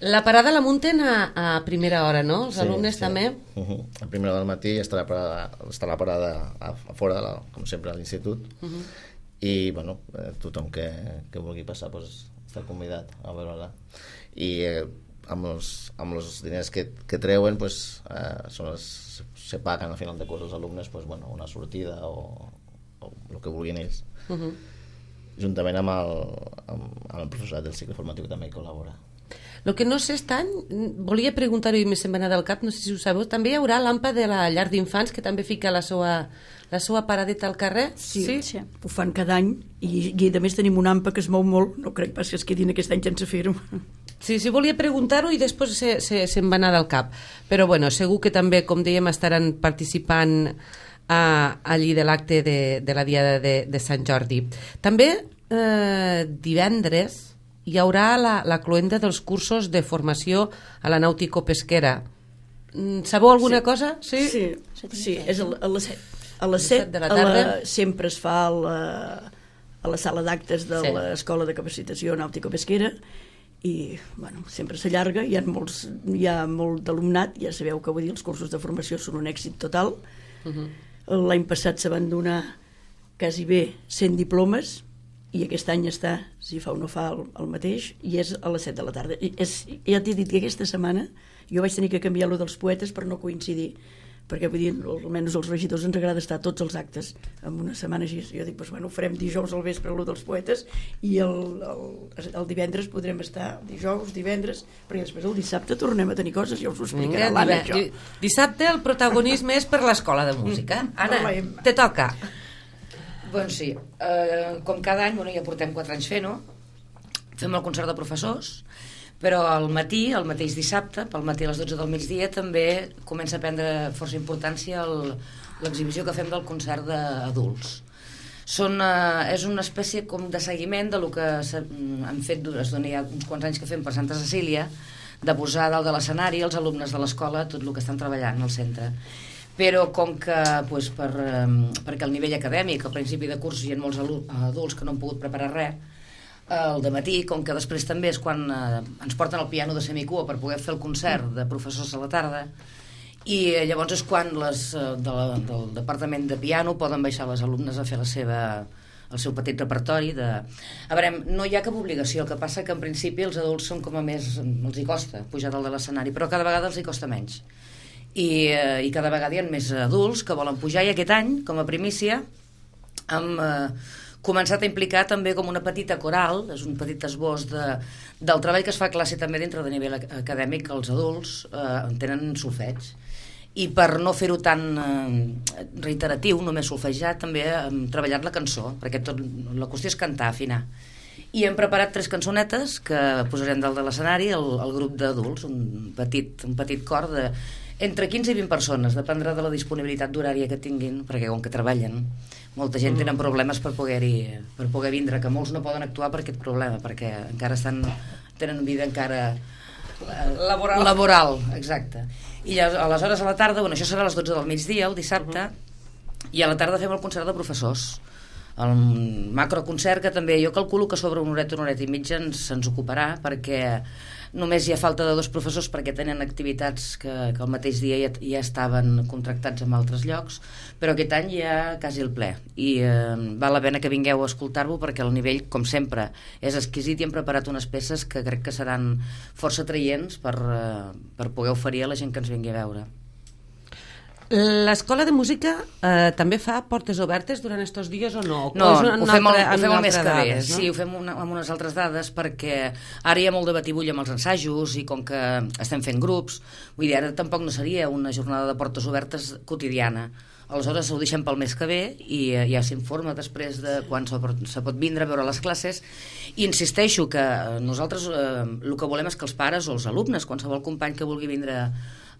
La parada la munten a, a primera hora, no? Els Sí, alumnes sí. també? Uh -huh. A primera hora del matí està la parada, està la parada a, a fora, de la, com sempre, a l'institut. Uh -huh. I bueno, eh, tothom que, que vulgui passar pues, està convidat a veure-la. I eh, amb, els, amb els diners que, que treuen pues, eh, són les, se paguen al final de curs els alumnes pues, bueno, una sortida o, o el que vulguin ells. Uh -huh. Juntament amb el, amb, amb el professorat del cicle formatiu que també hi col·labora. El que no sé aquest any, volia preguntar-ho i me se'n va anar del cap, no sé si ho sabeu, també hi haurà l'AMPA de la llar d'infants que també fica la seva, la seva paradeta al carrer? Sí, sí? Sí. ho fan cada any i, i a més tenim un AMPA que es mou molt, no crec pas que es quedin aquest any sense fer-ho. Sí, sí, volia preguntar-ho i després se, se, se'm va anar del cap. Però bueno, segur que també, com dèiem, estaran participant a, allí de l'acte de, de la Diada de, de Sant Jordi. També eh, divendres hi haurà la, la cloenda dels cursos de formació a la nàutico-pesquera. Sabeu alguna Sí. cosa? Sí? Sí, sí, és a, a les set. A les set set de la a tarda. sempre es fa a la, a la sala d'actes de Sí. l'Escola de Capacitació Nàutico-Pesquera i bueno, sempre s'allarga, hi ha, molts, hi ha molt d'alumnat, ja sabeu que vull dir, els cursos de formació són un èxit total. Uh-huh. L'any passat se van donar quasi bé cent diplomes i aquest any està, si fa o no fa, el, el mateix, i és a les set de la tarda. I és, ja t'he dit que aquesta setmana jo vaig tenir que canviar lo dels poetes per no coincidir, perquè vull dir, almenys als regidors ens agrada estar a tots els actes en una setmana així. Jo dic, pues, bueno, farem dijous al vespre lo dels poetes i el, el, el divendres podrem estar dijous, divendres, perquè després el dissabte tornem a tenir coses, ja us ho explicarà Vinga, l'Anna, dive- això. di- dissabte el protagonisme és per l'Escola de Música. Anna, Parlem. te toca. Doncs sí, eh, com cada any, bueno, ja portem quatre anys fent-ho, fem el concert de professors, però al matí, el mateix dissabte, pel matí a les dotze del migdia, també comença a prendre força importància el- l'exhibició que fem del concert d'adults. Són, eh, és una espècie com de seguiment de lo que s'ha- han fet, es dona ja uns quants anys que fem per Santa Cecília, de posar dalt de l'escenari els alumnes de l'escola tot el que estan treballant al centre. Però com que pues, per, eh, perquè el nivell acadèmic al principi de curs hi ha molts alu- adults que no han pogut preparar res, el dematí, com que després també és quan eh, ens porten el piano de semicua per poder fer el concert de professors a la tarda, i eh, llavors és quan les, eh, de la, del departament de piano poden baixar les alumnes a fer la seva, el seu petit repertori de... A veure, no hi ha cap obligació, el que passa que en principi els adults són com a més, els hi costa pujar dalt de l'escenari, però cada vegada els hi costa menys. I, eh, i cada vegada hi ha més adults que volen pujar, i aquest any, com a primícia, hem eh, començat a implicar també com una petita coral, és un petit esbós de, del treball que es fa a classe també dintre de nivell ac- acadèmic, que els adults eh, tenen solfeig. I per no fer-ho tan eh, reiteratiu, només solfejar, també hem treballat la cançó, perquè tot, la qüestió és cantar, afinar. I hem preparat tres cançonetes que posarem dalt de l'escenari, el, el grup d'adults, un petit, un petit cor de entre quinze i vint persones, dependrà de la disponibilitat d'horària que tinguin, perquè com que treballen, molta gent tenen problemes per poder-hi per poder vindre, que molts no poden actuar per aquest problema, perquè encara estan, tenen vida encara Laboral. laboral, exacte. I aleshores a la tarda, bueno, això serà a les dotze del migdia, el dissabte, i a la tarda fem el concert de professors, el macroconcert, que també jo calculo que sobre una horeta, una horeta i mitja ens, ens ocuparà, perquè només hi ha falta de dos professors perquè tenen activitats que, que el mateix dia ja, ja estaven contractats en altres llocs, però aquest any hi ha quasi el ple, i eh, val la pena que vingueu a escoltar-lo, perquè el nivell, com sempre, és exquisit, i hem preparat unes peces que crec que seran força atraients per, eh, per poder oferir a la gent que ens vingui a veure. L'escola de música eh, també fa portes obertes durant aquests dies o no? No, o és ho fem, el, altra, ho fem el mes que ve. Dades, no? Sí, ho fem una, amb unes altres dades perquè ara hi ha molt de batibull amb els ensajos i com que estem fent grups, vull dir, ara tampoc no seria una jornada de portes obertes quotidiana. Aleshores ho deixem pel mes que ve i eh, ja s'informa després de quan se pot, se pot vindre a veure les classes. I insisteixo que nosaltres eh, el que volem és que els pares o els alumnes, qualsevol company que vulgui vindre a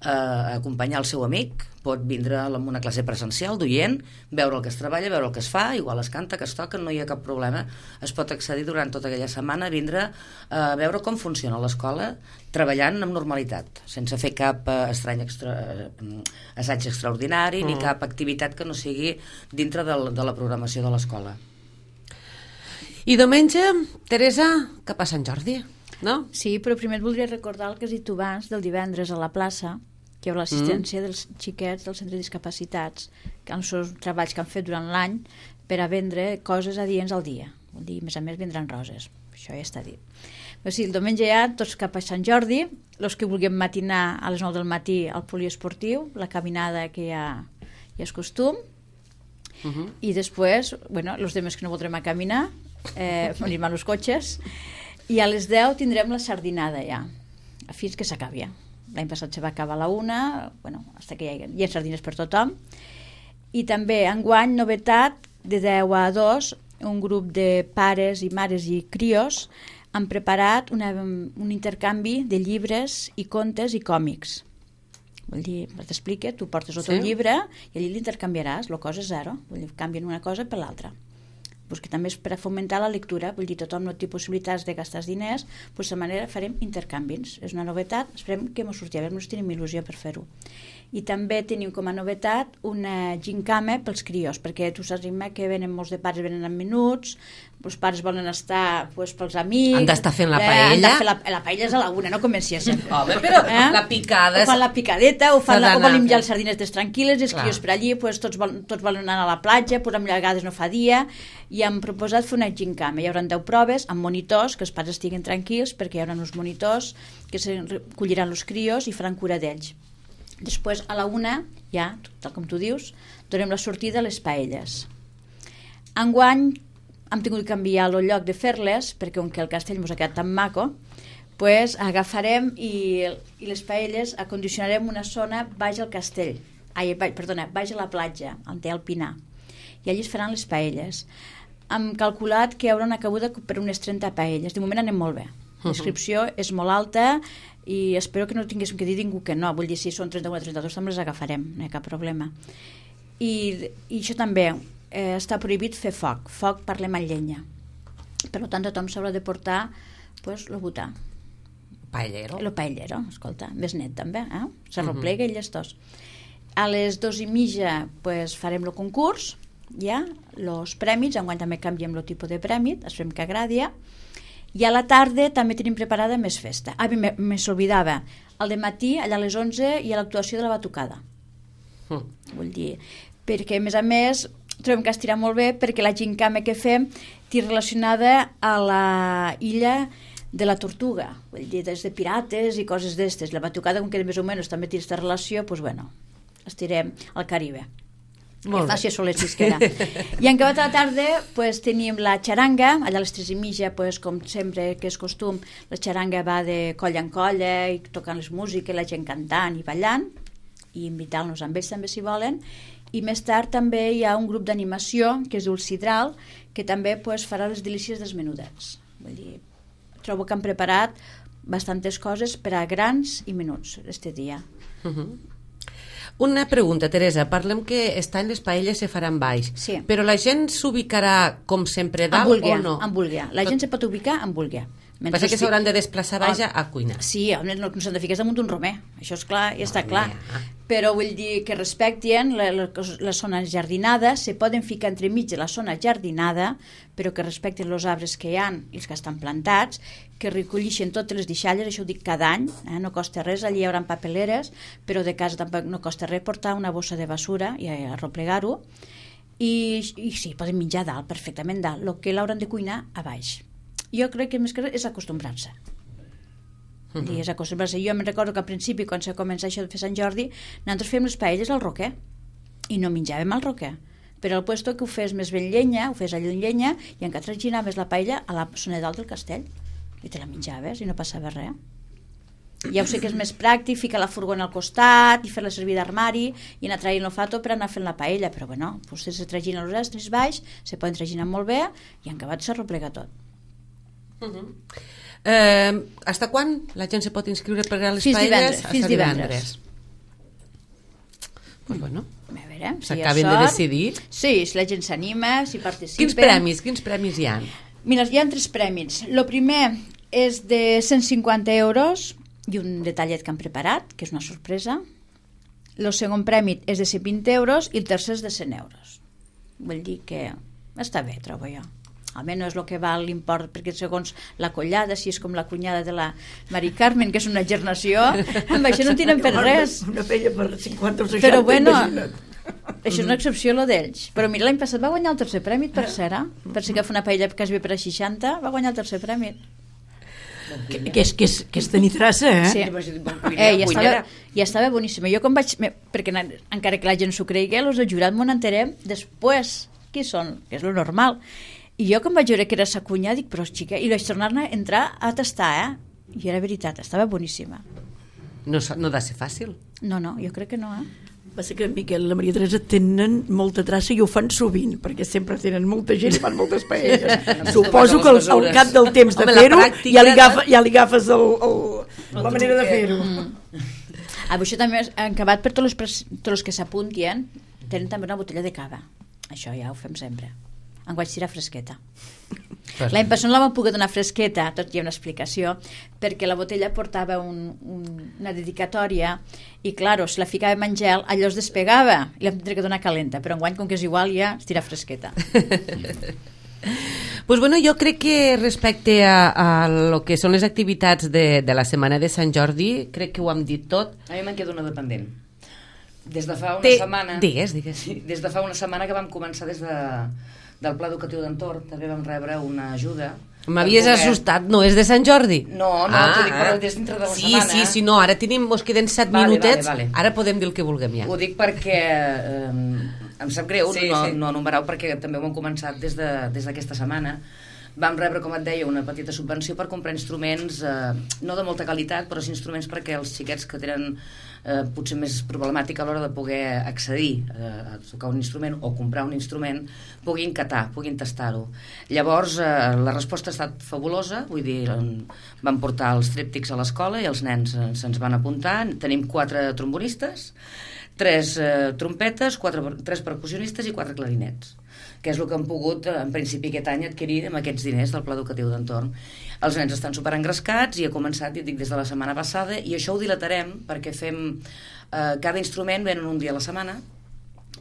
eh, acompanyar el seu amic, pot vindre a una classe presencial d'oient, veure el que es treballa, veure el que es fa, igual es canta, que es toca, no hi ha cap problema. Es pot accedir durant tota aquella setmana a vindre a veure com funciona l'escola, treballant amb normalitat, sense fer cap eh, estrany extra, eh, assaig extraordinari, mm. ni cap activitat que no sigui dintre del, de la programació de l'escola. I diumenge, Teresa, cap a Sant Jordi, no? Sí, però primer et voldria recordar el que has dit tu abans del divendres a la plaça, que hi ha l'assistència mm. dels xiquets del centre de discapacitats, que els seus treballs que han fet durant l'any per a vendre coses adients al dia. Vol dir, a més a més, vindran roses. Això ja està dit. Però sí, el diumenge ja, tots cap a Sant Jordi, els que vulguem matinar a les nou del matí al poliesportiu, la caminada que ja, ja és costum, uh -huh. i després, bueno, els demés que no voldrem a caminar, eh, anem als cotxes, i a les deu tindrem la sardinada ja, fins que s'acabi ja. L'any passat se va acabar a la una, bueno, hasta que hi ha, hi ha sardines per tothom. I també, enguany, novetat, de deu a dos, un grup de pares i mares i crios han preparat una, un intercanvi de llibres i contes i còmics. Vull dir, t'explica, tu portes el teu sí. llibre i allí l'intercanviaràs, la cosa és zero. Vull dir, canvien una cosa per l'altra. Pues que també és per a fomentar la lectura, vull dir, tothom no té possibilitats de gastar diners, doncs de manera farem intercanvis. És una novetat, esperem que ens surti, a veure, ens tenim il·lusió per fer-ho. I també tenim com a novetat una gincama pels crios, perquè tu saps, Imma, que venen molts de pares, venen en minuts, els pares volen estar pues, pels amics... Han d'estar fent la eh, paella. Han de fer la, la paella és a la una, no comenci a ser. Home, però eh? la picada... O fan la picadeta, o, fan la, o volen menjar les sardinetes tranquil·les, i els crios per allí, pues, tots, vol, tots volen anar a la platja, pues, amb vegades no fa dia, i han proposat fer una gincama. Hi haurà deu proves amb monitors, que els pares estiguin tranquils, perquè hi haurà uns monitors que se recolliran els crios i faran cura d'ells. Després, a la una, ja, tal com tu dius, donem la sortida a les paelles. Enguany hem tingut que canviar el lloc de fer-les, perquè com que el castell ens ha quedat tan maco, pues, agafarem i, i les paelles acondicionarem una zona baix al castell, ai, baix, perdona, baix a la platja, on té el Pinar, i allí es faran les paelles. Hem calculat que hi haurà una cabuda per unes trenta paelles. De moment anem molt bé. La inscripció és molt alta i espero que no tinguéssim que dir ningú que no. Vull dir, si són trenta-u o trenta-dos també les agafarem, no hi ha cap problema. I, i això també, eh, està prohibit fer foc. Foc parlem amb llenya. Per tant, tothom s'haurà de portar pues, el butà. Paellero. El paellero, escolta, més net també, eh? Se replega uh -huh. i llestós. A les dos i mitja pues, farem el concurs, ja, els prèmits, enguany també canviem el tipus de prèmit, esperem que agradi, i a la tarda també tenim preparada més festa. Ah, me s'oblidava, al dematí, allà a les onze, hi ha l'actuació de la batucada. Mm. Vull dir, perquè a més a més trobem que estirà molt bé perquè la gincama que fem té relacionada a la illa de la Tortuga, vull dir, des de pirates i coses d'estes. La batucada, com que més o menys també té aquesta relació, doncs bueno, estirem al Caribe. Molt que faci solet xisquera. I en acabat a la tarda pues, tenim la xaranga, allà a les tres i mitja, pues, com sempre que és costum, la xaranga va de colla en colla i tocant les músiques, la gent cantant i ballant, i invitar-nos amb ells també si volen. I més tard també hi ha un grup d'animació que es diu el Sidral, que també pues, farà les delícies dels menudets. Vull dir, trobo que han preparat bastantes coses per a grans i menuts este dia. Uh-huh. Una pregunta, Teresa. Parlem que aquest any les paelles se faran baix, sí. Però la gent s'ubicarà com sempre dalt vulguia, o no? En vulguia. La gent se pot ubicar en vulguia. Passa que s'hauran de desplaçar baix a, a cuinar. Sí, no, no s'han de ficar damunt d'un romer, això és clar, ja està clar. Però vull dir que respectin la, la, la zona jardinada, se poden ficar entremig de la zona jardinada, però que respectin els arbres que hi ha i els que estan plantats, que recollixen totes les deixalles, això ho dic cada any, eh? No costa res, allí hi haurà papeleres, però de casa tampoc no costa res portar una bossa de basura i arreplegar-ho, i, i sí, poden menjar dalt, perfectament dalt, el que l'hauran de cuinar a baix. Jo crec que més que res és acostumbrar-se. Uh-huh. I és acostumbrar-se. Jo me'n recordo que al principi, quan se comença això de fer Sant Jordi, nosaltres fèiem les paelles al roquer i no menjàvem al roquer. Però al puesto que ho fes més ben llenya, ho fes allò en llenya, i encara traginaves la paella a la zona dalt del castell i te la menjaves i no passava res. Ja ho sé que és més pràctic ficar la furgona al costat i fer-la servir d'armari i anar traient el fato per anar fent la paella, però bueno, vostès se traginen els estris baix, se poden traginar molt bé i en acabat s'arroplega tot. Uh-huh. eh, Hasta quan la gent se pot inscriure per a les fins paelles? Divendres, fins divendres. Pues bueno, a veure, si s'acaben de decidir. Sí, si la gent s'anima, si participen. Quins premis, quins premis hi ha? Mira, hi ha tres premis. El primer és de cent cinquanta euros i un detallet que han preparat, que és una sorpresa. El segon premi és de cent vint euros i el tercer és de cent euros. Vull dir que està bé, trobo jo. Almenys no és el que val l'import, perquè segons la collada, si és com la cunyada de la Mari Carmen, que és una gernació, amb això no tiren per res. Una pella per cinquanta o seixanta, però bueno, imagina't. Això és una excepció, lo d'ells. Però mira, l'any passat va guanyar el tercer premi, per cera. Per si que fa una paella quasi bé per a seixanta, va guanyar el tercer premi. Que, que, és, que, és, que és tenir traça, eh? Sí. Eh, ja, estava, ja estava boníssima. Jo quan vaig... Perquè encara que la gent s'ho cregui, els he jurat m'ho enterem després. Qui són? Que és lo normal. I jo quan vaig veure que era sa cunya, dic, però xica, i vaig tornar-ne a entrar a tastar, eh? I era veritat, estava boníssima. No, no ha de ser fàcil. No, no, jo crec que no, eh? Va ser que en Miquel i la Maria Teresa tenen molta traça i ho fan sovint, perquè sempre tenen molta gent i fan moltes paelles. Suposo que al, al cap del temps de fer-ho ja, li agafa, ja li agafes el, el, la manera de fer-ho. Mm. Ah, això també han acabat per tots els, tots els que s'apuntien, tenen també una botella de cava. Això ja ho fem sempre. En vaig tirar fresqueta. L'any passat no la vam poder donar fresqueta, tot hi ha una explicació, perquè la botella portava un, un, una dedicatòria i, claro, si la ficàvem en gel, allò es despegava i la vam tenir que donar calenta, però enguany, com que és igual, ja es tira fresqueta. Pues bueno, jo crec que respecte a, a lo que són les activitats de, de la setmana de Sant Jordi, crec que ho hem dit tot. A mi me'n queda una dependent. Des de fa una Te... setmana... Digues, digues. Sí, des de fa una setmana que vam començar des de... del Pla Educatiu d'Entorn, també vam rebre una ajuda. M'havies poder... assustat, no és de Sant Jordi? No, no, ah, t'ho dic, però des dintre de la sí, setmana. Sí, sí, no, ara tenim, mos queden set vale, minutets, vale, vale. Ara podem dir el que vulguem ja. Ho dic perquè eh, em sap greu sí, no, sí. no enumerar-ho, perquè també ho hem començat des de, des d'aquesta setmana. Vam rebre, com et deia, una petita subvenció per comprar instruments, eh, no de molta qualitat, però sí instruments perquè els xiquets que tenen eh, potser més problemàtica a l'hora de poder accedir eh, a tocar un instrument o comprar un instrument, puguin catar, puguin tastar-ho. Llavors, eh, la resposta ha estat fabulosa, vull dir, vam portar els trèptics a l'escola i els nens eh, se'ns van apuntar. Tenim quatre trombonistes, tres eh, trompetes, quatre, tres percussionistes i quatre clarinets, que és el que han pogut, en principi, aquest any adquirir amb aquests diners del Pla Educatiu d'Entorn. Els nens estan superengrescats i ha començat, ja dic, des de la setmana passada, i això ho dilatarem perquè fem... Eh, cada instrument venen un dia a la setmana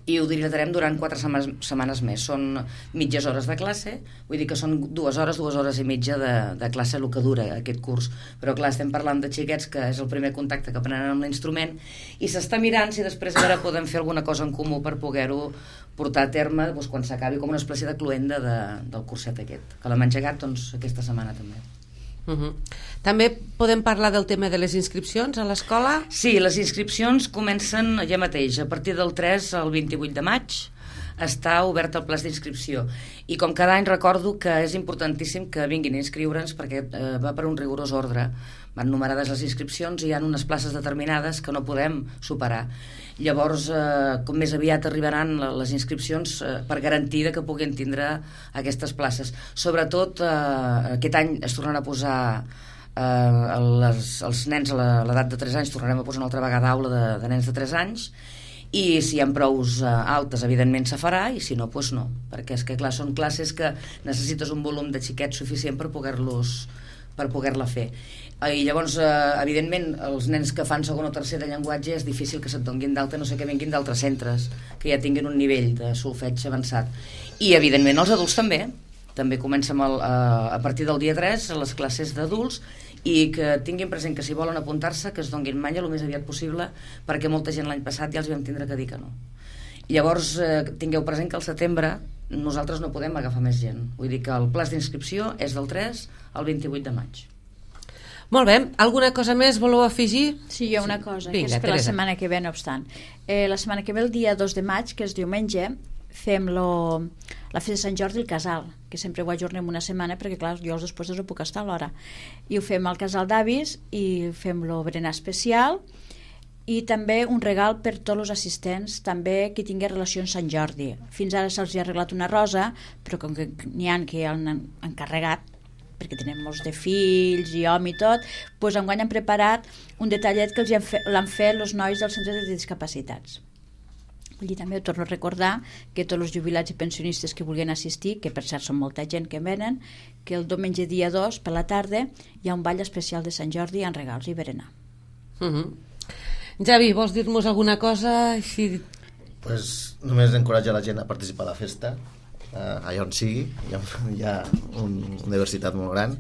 i ho dilatarem durant quatre setmanes, setmanes més. Són mitges hores de classe, vull dir que són dues hores, dues hores i mitja de, de classe el que dura aquest curs. Però clar, estem parlant de xiquets que és el primer contacte que prenen amb l'instrument i s'està mirant si després a veure podem fer alguna cosa en comú per poder-ho portar a terme doncs, quan s'acabi com una espècie de cluenda de, del curset aquest, que l'hem engegat doncs, aquesta setmana també. Uh-huh. També podem parlar del tema de les inscripcions a l'escola? Sí, les inscripcions comencen ja mateix, a partir del tres al vint-i-vuit de maig està obert el plaç d'inscripció i com cada any recordo que és importantíssim que vinguin a inscriure'ns perquè eh, va per un rigorós ordre, van numerades les inscripcions i hi ha unes places determinades que no podem superar. Llavors, eh, com més aviat arribaran les inscripcions eh, per garantir que puguin tindre aquestes places. Sobretot, eh, aquest any es tornaran a posar eh, les, els nens a l'edat de tres anys, tornarem a posar una altra vegada aula de, de nens de tres anys i si hi ha prous uh, altes evidentment se farà i si no, doncs no, perquè és que clar, són classes que necessites un volum de xiquets suficient per poder-los per poder-la fer i llavors eh, evidentment els nens que fan segon o tercer de llenguatge és difícil que se't donguin d'alta, no sé que vinguin d'altres centres que ja tinguin un nivell de solfeig avançat i evidentment els adults també també comencem el, uh, a partir del dia tres a les classes d'adults i que tinguin present que si volen apuntar-se que es donguin malla el més aviat possible perquè molta gent l'any passat ja els vam tindre que dir que no. Llavors eh, tingueu present que al setembre nosaltres no podem agafar més gent, vull dir que el plaç d'inscripció és del tres al vint-i-vuit de maig. Molt bé, alguna cosa més voleu afegir? Sí, hi ha una cosa, Vinga, que és per Teresa. la setmana que ve, no obstant. Eh, la setmana que ve, el dia dos de maig, que és diumenge, fem lo, la festa de Sant Jordi al casal, que sempre ho ajornem una setmana perquè, clar, jo els després no puc estar a l'hora. I ho fem al casal d'avis i fem lo berenar especial i també un regal per tots els assistents, també qui tingui relació amb Sant Jordi. Fins ara se'ls ha arreglat una rosa, però com que n'hi ha que han encarregat, perquè tenim molts de fills i home i tot, doncs enguany han preparat un detallet que els l'han fet els nois del centre de discapacitats. I també ho torno a recordar que tots els jubilats i pensionistes que vulguin assistir, que per cert són molta gent que venen, que el diumenge dia dos, per la tarda, hi ha un ball especial de Sant Jordi amb regals i berenar. Uh -huh. Javi, vols dir-nos alguna cosa? Si... Pues, només encoratjar la gent a participar a la festa, Uh, allà on sigui, hi ha, hi ha un, una diversitat molt gran,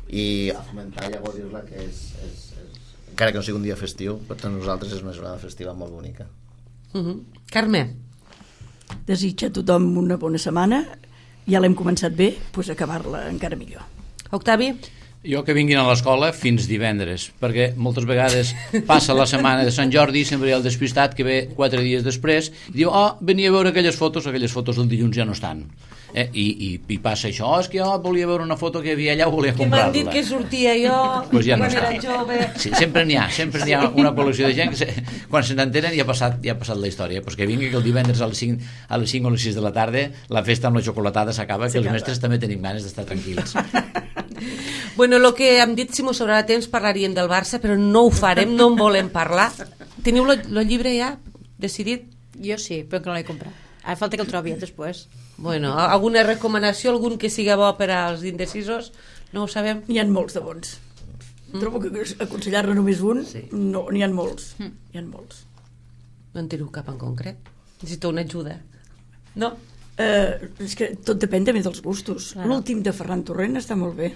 i a fomentar i a gaudir-la, que és, és, és, encara que no sigui un dia festiu, per tant nosaltres és una jornada festiva molt bonica. Uh -huh. Carme, desitja a tothom una bona setmana, ja l'hem començat bé, doncs acabar-la encara millor. Octavi? Jo que vinguin a l'escola fins divendres, perquè moltes vegades passa la setmana de Sant Jordi i sempre hi ha el despistat que ve quatre dies després i diu, oh, venia a veure aquelles fotos, aquelles fotos del dilluns ja no estan. Eh? I, i, I passa això, oh, és que jo volia veure una foto que hi havia allà, volia comprar-la. Que m'han dit que sortia jo pues ja no quan era està. jove. Sí, sempre n'hi ha, sempre n'hi ha una col·lecció de gent que se, quan se n'entenen ja ha passat, ja ha passat la història. Pues que vingui que el divendres a les cinc, a les cinc o les sis de la tarda la festa amb la xocolatada s'acaba, que els mestres també tenim ganes d'estar tranquils. Bueno, el que hem dit, si m'ho sobrarà temps, parlaríem del Barça, però no ho farem, no en volem parlar. Teniu el llibre ja decidit? Jo sí, però que no l'he comprat. Ara falta que el trobi després. Bueno, alguna recomanació, algun que siga bo per als indecisos? No ho sabem. N'hi ha molts de bons. Mm. Trobo que aconsellar-ne només un, sí. No, n'hi ha molts. Mm. N'hi ha molts. No en teniu cap en concret? Necessito una ajuda. No? Uh, és que tot depèn també dels gustos. Claro. L'últim de Ferran Torrent està molt bé.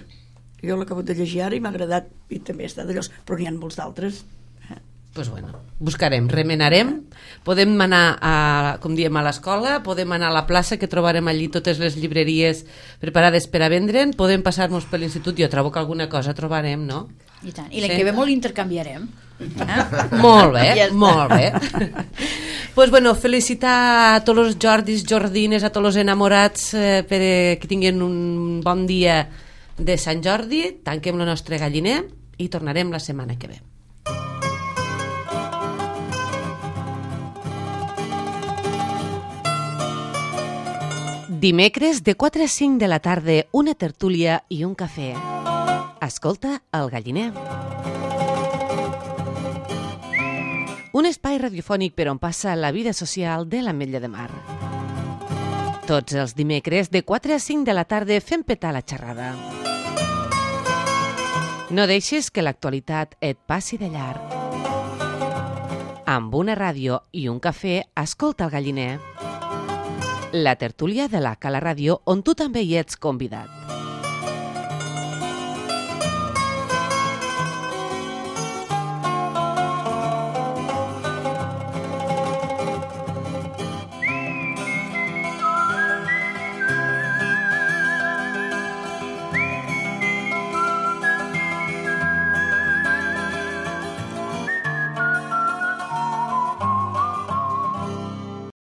Jo l'acabo de llegir ara i m'ha agradat, i també està d'allò, però n'hi ha molts d'altres. Pues bueno, buscarem, remenarem, podem anar a, com diem, a l'escola, podem anar a la plaça, que trobarem allí totes les llibreries preparades per a vendre'n, podem passar-nos per l'institut, jo trobo que alguna cosa trobarem, no? I tant, i l'any sí. que ve molt intercanviarem. Eh? Molt bé, ja molt bé. Pues bueno, felicitar a tots els Jordis, Jordines, a tots els enamorats eh, per que tinguin un bon dia de Sant Jordi, tanquem el nostre galliner i tornarem la setmana que ve. Dimecres de quatre a cinc de la tarda, una tertúlia i un cafè. Escolta el galliner. Un espai radiofònic per on passa la vida social de l'Ametlla de Mar. Tots els dimecres de quatre a cinc de la tarda fem petar la xerrada. No deixis que l'actualitat et passi de llarg. Amb una ràdio i un cafè, escolta el galliner. La tertúlia de la Cala Ràdio, on tu també hi ets convidat.